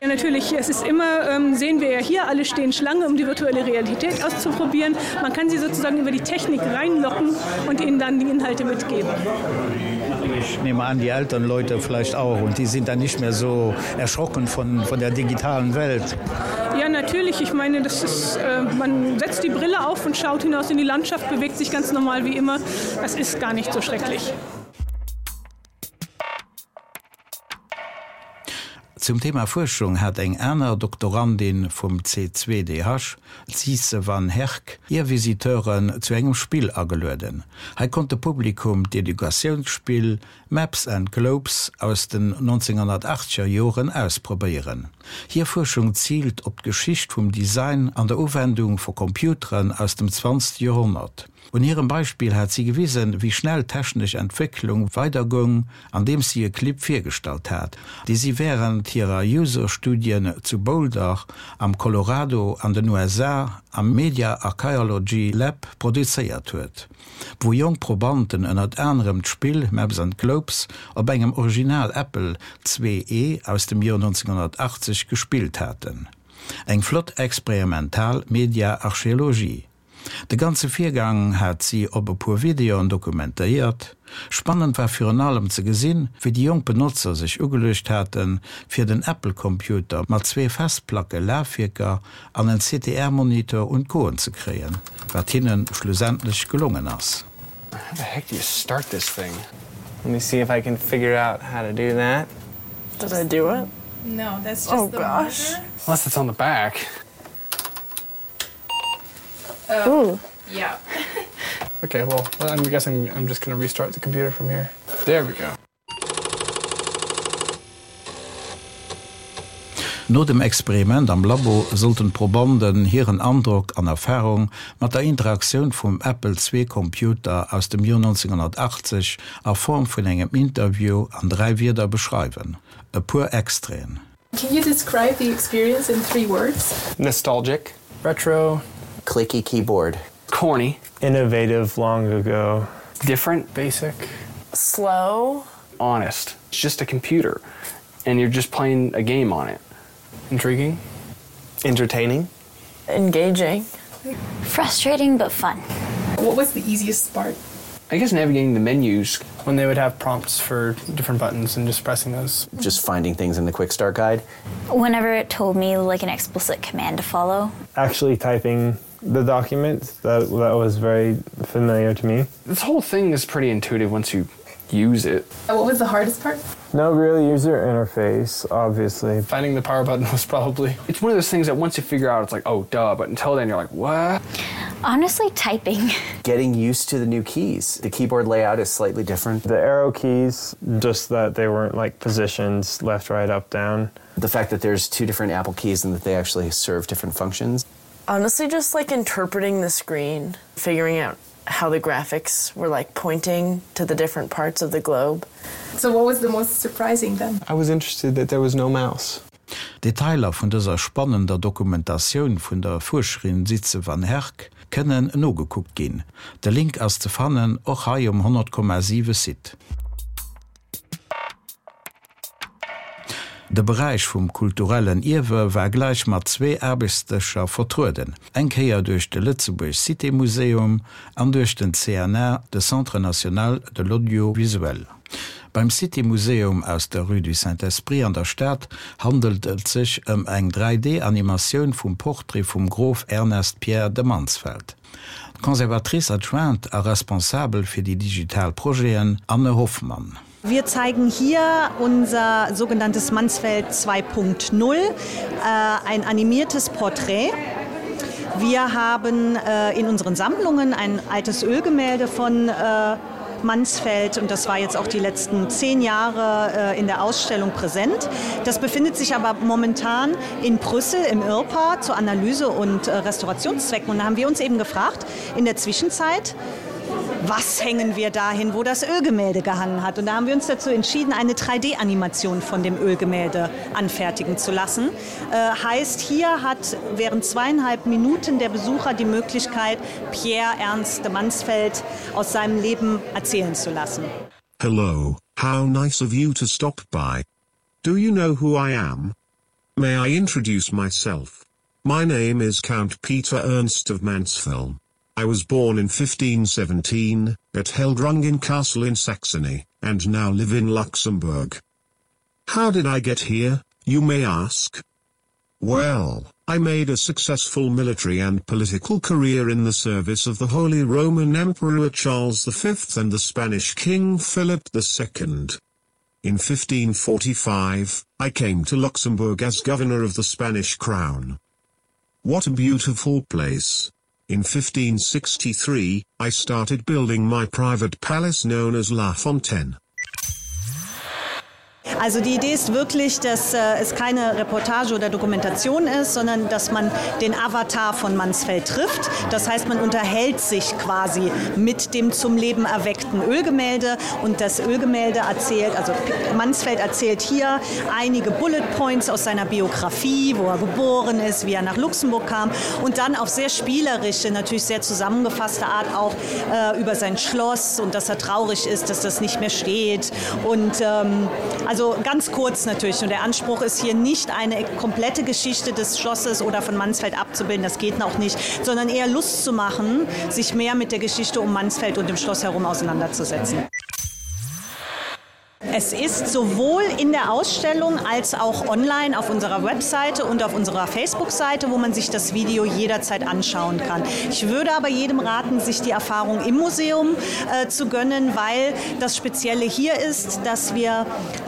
Ja, natürlich es ist immer ähm, sehen wir ja hier alle stehen Schlange, um die virtuelle Realität auszuprobieren. Man kann sie sozusagen über die Technik reinlocken und ihnen dann die Inhalte mitgeben. Ich nehme an, die älteren Leute vielleicht auch und die sind dann nicht mehr so erschrocken von, von der digitalen Welt. Ja, natürlich. Ich meine, das ist, äh, man setzt die Brille auf und schaut hinaus in die Landschaft, bewegt sich ganz normal wie immer. Das ist gar nicht so schrecklich. Zum Thema Fuerschung hat eng aner Doktorandin vum C2DH, d'Sise van Herk, hir Visiteuren zu engem Spill agelueden. Hei konnt de Publikum d'Educatiounsspill Maps and Globes aus den 1980er Joren ausprobéieren. Hir Fuerschung ziilt op d'Geschicht vum Design an der Uwendung vu Computeren aus dem 20. Joerhonnert. Un hirem Beispill hat si gewisen, wéi schnell d'technesch Entwécklung weidergoung, andeems si e Clip virgestallt hat, dee si wärend hirer User-Studien zu Boulder am Colorado an den USA am Media Archaeology Lab produzéiert huet, wou jonk Probanten ënnert anerem d'Spill Maps and Globes op engem Original Apple IIe aus dem Joer 1980 gespillt haten. Eng flott experimental Media-Archeologie. De ganze Virgang hat si op e puer Videoen dokumentéiert. Spannend war virun allem ze gesinn, wéi déi jonk Benotzer sech ugeluecht haten, fir den Apple-Computer mat zwee Festplacke-Lafwierker an en CTR-Monitor un d'Goen ze kréien, wat hinne schlussendlech gelongen ass. How the heck do you start this thing? Let me see if I can figure out how to do that. Did I do it? No, that's just oh, the gosh. monitor. Unless it's on the back. Oh, yeah. Okay, well, I'm guessing I'm just gonna restart the computer from here. There we go. No dem Experiment am Labo sollten d'Probanden hiren Androck an Erfarung mat der Interaktioun vum Apple II Computer aus dem Joer 1980 a Form vun engem Interview an 3 Wierder beschreiwen. E puer Extraiten. Can you describe the experience in three words? Nostalgic. Retro. Clicky keyboard. Corny. Innovative long ago. Different. Basic. Slow. Honest. It's just a computer and you're just playing a game on it. Intriguing. Entertaining. Engaging. Frustrating but fun. What was the easiest part? I guess navigating the menus. When they would have prompts for different buttons and just pressing those. Just finding things in the quick start guide. Whenever it told me like an explicit command to follow. Actually typing the document that that was very familiar to me. This whole thing is pretty intuitive once you use it. What was the hardest part? No real user interface, obviously. Finding the power button was probably. It's one of those things that once you figure out it's like, oh duh, but until then you're like, what? Honestly, typing. Getting used to the new keys. The keyboard layout is slightly different. The arrow keys, just that they weren't like positions left, right, up, down. The fact that there's two different Apple keys and that they actually serve different functions. Honestly, just like interpreting the screen, figuring out how the graphics were like pointing to the different parts of the globe. So what was the most surprising then? I was interested that there was no mouse. Detailer vun dëser spannender Dokumentatioun vun der Fuerscherin Sietze van Herk kënnen nogekuckt ginn. De Link ass ze fannen och hei um 100,7 Site. De Beräich vum kulturellen Ierwe war gläich mat zwee Aarbechtsdëscher vertrueden, eng Kéier duerch de Lëtzebuerg Cité Museum an duerch den CNA, de Centre national de l'audiovisuel. Beim Cité Museum aus der Rue du Saint-Esprit an der Stad handelt et sech ëm eng 3D-Animatioun vum Portrait vum Grof Ernest Pierre de Mansfeld. D'Conservatrice adjointe a Responsabel fir déi digital Projeten, Anne Hoffmann. Wir zeigen hier unser sogenanntes Mansfeld 2.0, äh, ein animiertes Porträt. Wir haben äh, in unseren Sammlungen ein altes Ölgemälde von äh, Mansfeld und das war jetzt auch die letzten zehn Jahre äh, in der Ausstellung präsent. Das befindet sich aber momentan in Brüssel im Irpa zu Analyse und äh, Restaurationszwecken. Und da haben wir uns eben gefragt, in der Zwischenzeit, was hängen wir dahin, wo das Ölgemälde gehangen hat. Und da haben wir uns dazu entschieden, eine 3D-Animation von dem Ölgemälde anfertigen zu lassen. Äh, heißt, hier hat während zweieinhalb Minuten der Besucher die Möglichkeit, Pierre Ernst de Mansfeld aus seinem Leben erzählen zu lassen. Hello, how nice of you to stop by. Do you know who I am? May I introduce myself? My name is Count Peter Ernst of Mansfeld. I was born in 1517, at Heldrungen Castle in Saxony, and now live in Luxembourg. How did I get here, you may ask? Well, I made a successful military and political career in the service of the Holy Roman Emperor Charles V and the Spanish King Philip II. In 1545, I came to Luxembourg as governor of the Spanish crown. What a beautiful place! In 1563, I started building my private palace known as La Fontaine. Also die Idee ist wirklich, dass äh, es keine Reportage oder Dokumentation ist, sondern dass man den Avatar von Mansfeld trifft. Das heißt, man unterhält sich quasi mit dem zum Leben erweckten Ölgemälde und das Ölgemälde erzählt, also Mansfeld erzählt hier einige Bullet Points aus seiner Biografie, wo er geboren ist, wie er nach Luxemburg kam und dann auf sehr spielerische, natürlich sehr zusammengefasste Art auch äh, über sein Schloss und dass er traurig ist, dass das nicht mehr steht. Und ähm, also ganz kurz natürlich und der Anspruch ist hier nicht eine komplette Geschichte des Schlosses oder von Mansfeld abzubilden, das geht noch nicht, sondern eher Lust zu machen, sich mehr mit der Geschichte um Mansfeld und dem Schloss herum auseinanderzusetzen. Es ist sowohl in der Ausstellung als auch online auf unserer Webseite und auf unserer Facebook-Seite, wo man sich das Video jederzeit anschauen kann. Ich würde aber jedem raten, sich die Erfahrung im Museum äh, zu gönnen, weil das Spezielle hier ist, dass wir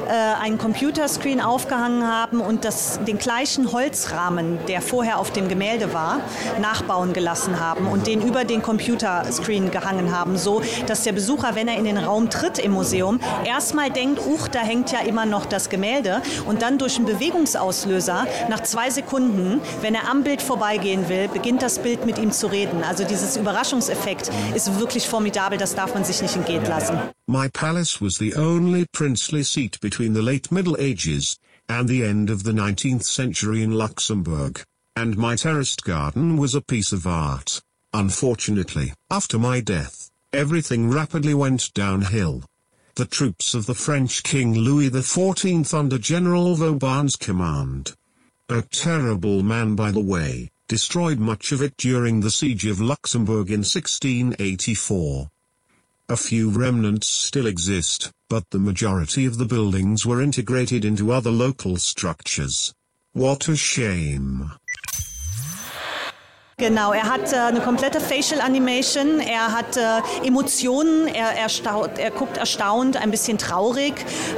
äh, einen Computerscreen aufgehangen haben und das, den gleichen Holzrahmen, der vorher auf dem Gemälde war, nachbauen gelassen haben und den über den Computerscreen gehangen haben, so dass der Besucher, wenn er in den Raum tritt im Museum, erstmal denkt, uch, da hängt ja immer noch das Gemälde und dann durch einen Bewegungsauslöser nach zwei Sekunden, wenn er am Bild vorbeigehen will, beginnt das Bild mit ihm zu reden. Also dieses Überraschungseffekt ist wirklich formidabel, das darf man sich nicht entgehen lassen. My palace was the only princely seat between the late Middle Ages and the end of the 19th century in Luxembourg, and my terraced garden was a piece of art. Unfortunately, after my death, everything rapidly went downhill. The troops of the French King Louis XIV under General Vauban's command. A terrible man by the way, destroyed much of it during the siege of Luxembourg in 1684. A few remnants still exist, but the majority of the buildings were integrated into other local structures. What a shame. Genau, er hat äh, eine komplette Facial Animation, er hat äh, Emotionen, er, er, staut, er guckt erstaunt, ein bisschen traurig,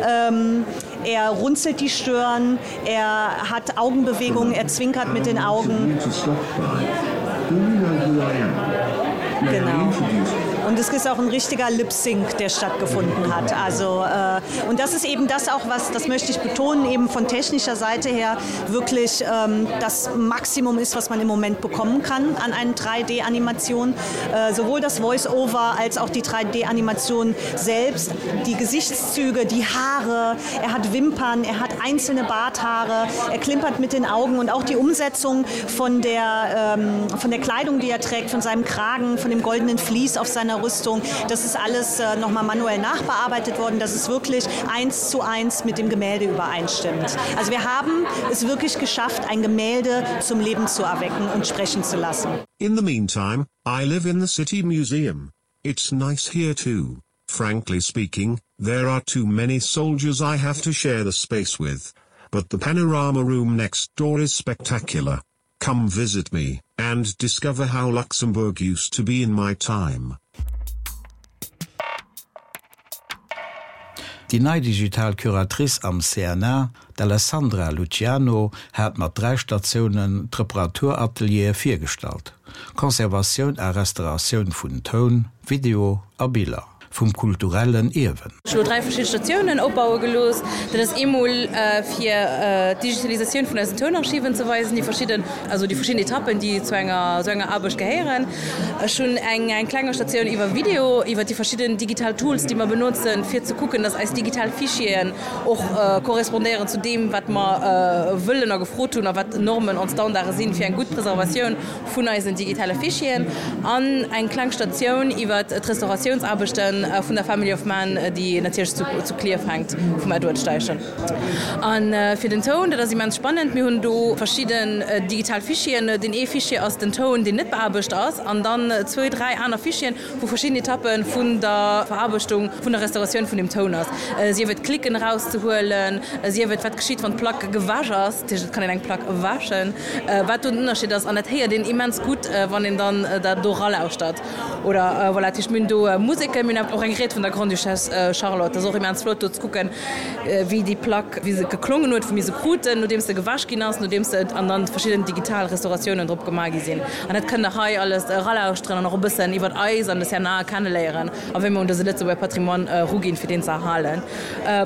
ähm, er runzelt die Stirn, er hat Augenbewegungen, er zwinkert mit den Augen. Genau. Und es ist auch ein richtiger Lip-Sync, der stattgefunden hat. Also, äh, und das ist eben das auch, was, das möchte ich betonen, eben von technischer Seite her wirklich ähm, das Maximum ist, was man im Moment bekommen kann an einen 3D-Animation. Äh, sowohl das Voice-Over als auch die 3D-Animation selbst, die Gesichtszüge, die Haare, er hat Wimpern, er hat einzelne Barthaare, er klimpert mit den Augen und auch die Umsetzung von der, ähm, von der Kleidung, die er trägt, von seinem Kragen, von dem goldenen Vlies auf seiner Rüstung, das ist alles äh, noch mal manuell nachbearbeitet worden, dass es wirklich eins zu eins mit dem Gemälde übereinstimmt. Also wir haben es wirklich geschafft, ein Gemälde zum Leben zu erwecken und sprechen zu lassen. In the meantime, I live in the city museum. It's nice here too. Frankly speaking, there are too many soldiers I have to share the space with. But the panorama room next door is spectacular. Come visit me, and discover how Luxembourg used to be in my time. Déi nei digital Curatrice am CNA, d'Alessandra Luciano, hat mat 3 Statiounen d'Reparaturateliere virgestallt, Conservatioun a Restauratioun vun Toun, Video a Biller vum kulturellen Ierwen. Ech hu lo 3 verschidde Statiounen opbaue gelooss. Dat ass eemol fir d'Digitalisatioun vun eisen Tounarchiven ze weisen, déi verschidden, also déi verschidden Etappen, déi zu enger esou enger Aarbecht gehéieren. Ech hunn eng eng klenger Statioun iwwer Video, iwwer déi verschidden digital Tools, déi mer benotzen, fir ze kucken, dass eis digital Fichieren och korrespondéieren zu deem, wat mer wëllen a gefrot hunn a wat Normen an Standarde sinn, fir eng gutt Preservatioun vun eisen digitale Fichieren an eng kleng Statioun iwwer d'Restauratiounsaarbechte vun der Family of Man, déi natierlech zu Klierf hänkt, vum Edward Steichen. A fir den Toun, dat ass immens spannend, mir hunn do verschidden digital Fichieren. Deen ee Fichier ass den Toun, deen net beaarbecht ass, an dann zwou, dräi aner Fichieren, wou verschidden Etappe vun der Veraarbechtung, vun der Restauratioun vun dem Toun ass, sief et d'Klicken erauszehuelen, sief et wat geschitt, wann d'Plack gewäsch ass, dat heescht et kann een eng Plack wäschen, wat do den Ënnerscheed ass. An dat héiert een immens gutt, wann een dann dat do eralauschtert. Oder voilà, dat heescht mir hunn do Museken, mir hunn. Och eng Ried vun der Grande-Duchesse Charlotte. Dat ass och immens flott do ze kucken, wéi déi Plack, wéi se geklongen huet, wou mir se kruten, nodeems se gewäsch ginn ass, nodeems se an dann verschidden digital Restauratiounen drop gemaach gi sinn. An dat kënnt der hei alles eralauschteren an och e bëssen iwwert eis an de CNA kenneléieren a wéi mer un dëse Lëtzebuerger Patrimoine eruginn, fir deen ze erhalen.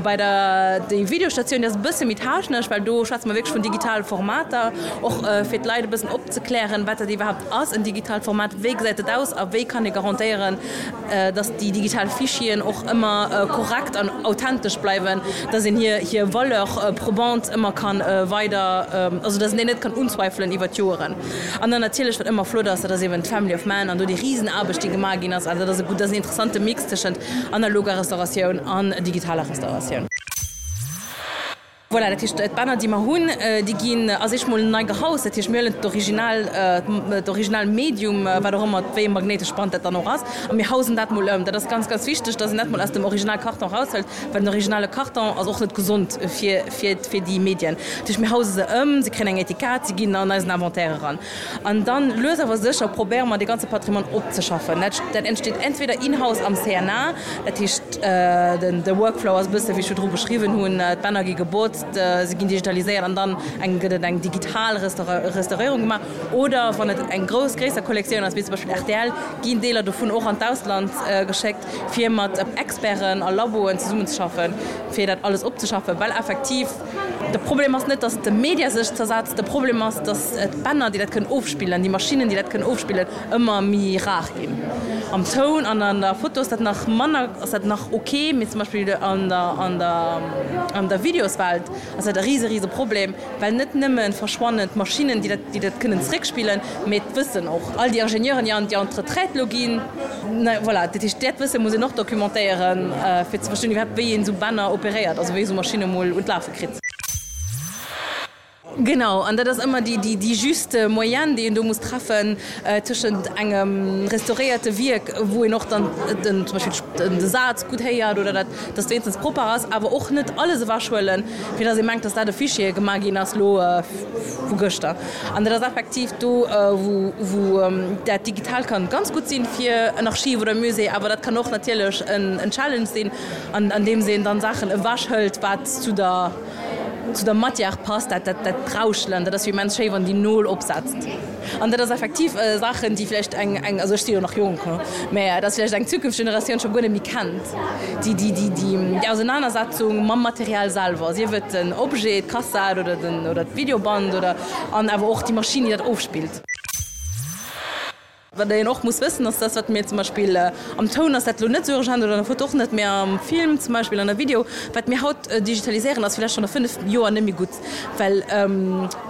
Bei der déi Videostatioun, déi ass e bësse méi technesch, well do schwätze mer wierklech vun digitale Formater, och fir d'Leit e bëssen opzeklären, wat dat iwwerhaapt ass, en digitaalt Format, wéi gesäit dat aus a wéi kann ee garantéieren, dass déi digital Fichieren och ëmmer korrekt an authentesch bleiwen, dass een hir hir Valeur probante ëmmer ka weider, also dass een déi net kann unzweifelen iwwer d'Joeren. An dann natierlech, wat ëmmer flott ass, dat ass eben d'Family of Man an do déi Risenaarbecht, déi gemaach ginn ass. Also dat ass e gutt, dat ass en interessante Mix tëschent analoger Restauratioun an digitaler Restauratioun. Voilà, dat heescht, d'Bänner, déi mer hunn, déi ginn a sech mol nei gehaust. Dat heescht, mir huelen d'Original, d'original Medium, wat och ëmmer, wéi e magnéitescht Band dat dann och ass, a mir hausen dat mol ëm. Dat ass ganz, ganz wichteg, dass een dat mol aus dem original Karton eraushëlt, well den originale Karton ass och net gesond fir, fir, fir déi Medien. Dat heescht, mir hause se ëm, se kréien eng Etikett, se ginn an eisen Inventaire eran. An dann, lues awer sécher, probéiere mer, dee ganze Patrimoine opzeschaffen. Dat, dat entsteet entweder in-house am CNA, dat heescht, den, de Workflow ass e bësse wéi ech virdru beschriwwen hunn, d'Bänner gi gebotzt, se ginn digitaliséiert an dann eng, gëtt et eng digital Restauréierung gemaach. Oder wann et eng grouss, gréisser Kollektioun ass, wéi zum Beispill rtl, ginn Deeler dovun och an d'Ausland geschéckt, fir mat Experten a Laboen zesummenzeschaffen, fir dat alles opzeschaffen, well effektiv, De Problem ass net, datt de Media sech zersetzt, de Problem ass, datt d'Bänner, déi dat kënnen ofspillen, déi Maschinnen, déi dat kënnen ofspillen, ëmmer méi rar ginn. Am Toun an an der Foto ass dat nach manner, ass dat nach ok, mee zum Beispill an der, an der, an der Videoswelt ass dat e rise, rise Problem, well net nëmme verschwannen d'Maschinnen, déi dat, déi dat kënnen zréckspillen, mee d'Wëssen och. All déi Ingenieuren, déi an, déi an d'Retraite elo ginn, Voilà, dat heescht, dat Wësse muss een och documentéieren, fir ze verstoen iwwerhaapt, wéi een esou Bänner operéiert, also wéi ee sou Maschinne mol un d'Lafe kritt. Genau, an dat ass ëmmer déi, déi, déi juste Moyenne, déi een do muss treffen tëschent engem restauréierte Wierk, wou een och dann den, zum Beispill de Saz gutt héiert oder dat, dass et wéinstens propper ass, awer och net alles ewechhuelen, fir dass ee mengt, dass dat e Fichier gemaach ginn ass elo vu gëschter. An dat ass effektiv do, wou dat digital kann ganz gutt sinn fir en Archiv oder e Musée, awer dat kann och natierlech en Challenge sinn, an deem een dann Saachen ewechhëlt, wat zu der zu der Matière passt, dat dat Rauschelen, dat ass jo immens schéi, wann déi Nol opsetzt. An dat ass effektiv Saachen, déi vläicht eng, eng, also ech si jo nach jonk, mä dat ass vläicht eng zukünfteg Generatioun scho guer net méi kennt, déi, déi, déi, déi Ausenanersetzung mam Material selwer, sief et den Objet, d'Kassett oder den, oder d'Videoband oder, an awer och déi Maschinn, déi dat ofspillt. Wat een och muss wëssen, ass, dass wat mir zum Beispill am Toun ass dat elo net esou urgent oder an der Foto och net, mä am Film zum Beispill, an der Video, wat mir haut digitaliséieren, ass vläicht schonn a 5 Joer net méi gutt, well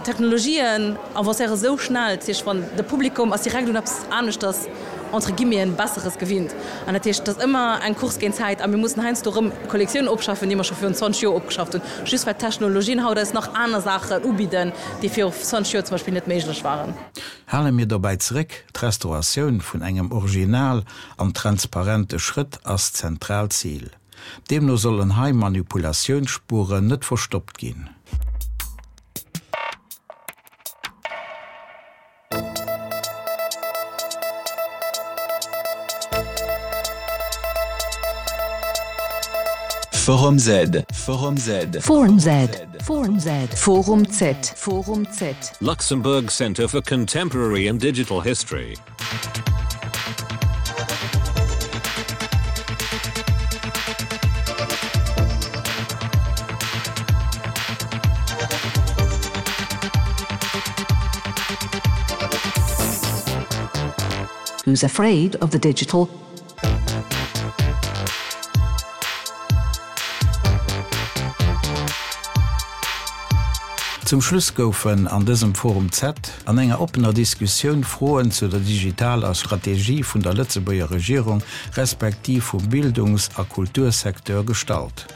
d'Technologien avancéiere sou schnell, dat heescht, wann de Publikum ass direkt un eppes aneschters, entre guillemeten, Besseres gewinnt. An dat heescht, et ass ëmmer eng Course géint d'Zäit a mir mussen heiansdo erëm Kollektiounen opschaffen, déi mer scho virun 20 Joer opgeschafft hunn, just well d'Technologien haut eis nach aner Saachen ubidden, déi viru 20 Joer zum Beispill net méiglech waren. Hale mir dobäi zeréck, d'Restauratioun vun engem Original an transparente Schrëtt ass d'zentraalt Zil. Deemno sollen hei Manipulatiounsspuren net verstoppt ginn. Forum Z, Forum Z. Forum Z, Forum Z, Forum Z, Forum Z. Luxembourg Center for Contemporary and Digital History. Who's afraid of the digital? Zum Schluss goufen an dësem Forum Z an enger oppener Diskussioun Froen zu der digitaler Strategie vun der Lëtzebuerger Regierung respektiv vum Bildungs a Kultursecteur gestallt.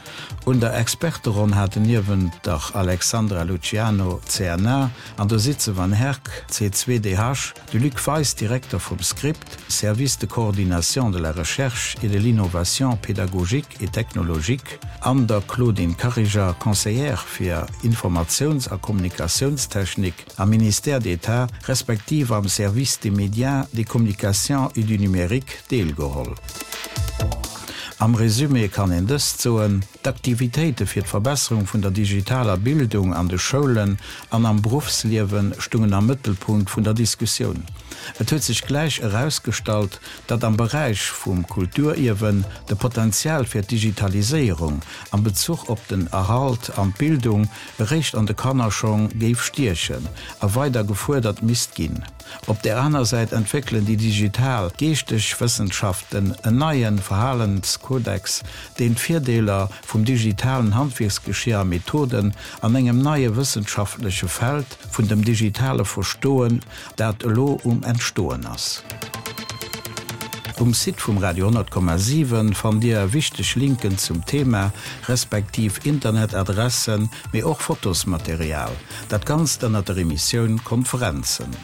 Un der Experteronn haten niewent der Alexandra Luciano, CNA, an der Sietze van Herk, C2DH, De Luc Weis, Direkter vum Script, Service de coordination de la recherche et de l'innovation pédagogique et technologique, an der Claudine Kariger, Conseillère fir Informatiouns a Kommunikatiounstechnik am Ministère d'État respektiv am Service des médias, des communications et du numérique, deelgeholl. Am Resumé kann een dëst soen, D'Aktivitéite fir d'Verbesserung vun der digitaler Bildung an de Schoulen an am Beruffsliewe stungen am Mëttelpunkt vun der Diskussioun. Et huet sech gläich erausgestallt, datt am Beräich vum Kulturierwen de Potenzial fir d'Digitaliséierung am Bezuch op den Erhalt an d'Bildung eréischt an de Kannerschong géif stiechen a weider gefuerdert misst ginn. Op där aner Säit entwéckelen déi digital geeschteg Wëssenschaften en neie Verhalenskodex, deen d'Virdeeler vum digitalen Handwierksgeschier a Methoden an engem neie wëssenschaftleche Feld vun dem digitale Verstoen, dat elo um Entstoen ass. Um Site vum Radio 10,7 fannt Dir wichteg Linken zum Thema, respektiv Internetadressen, mee och Fotosmaterial. Dat Ganzt ënnert der Emissioun Konferenzen.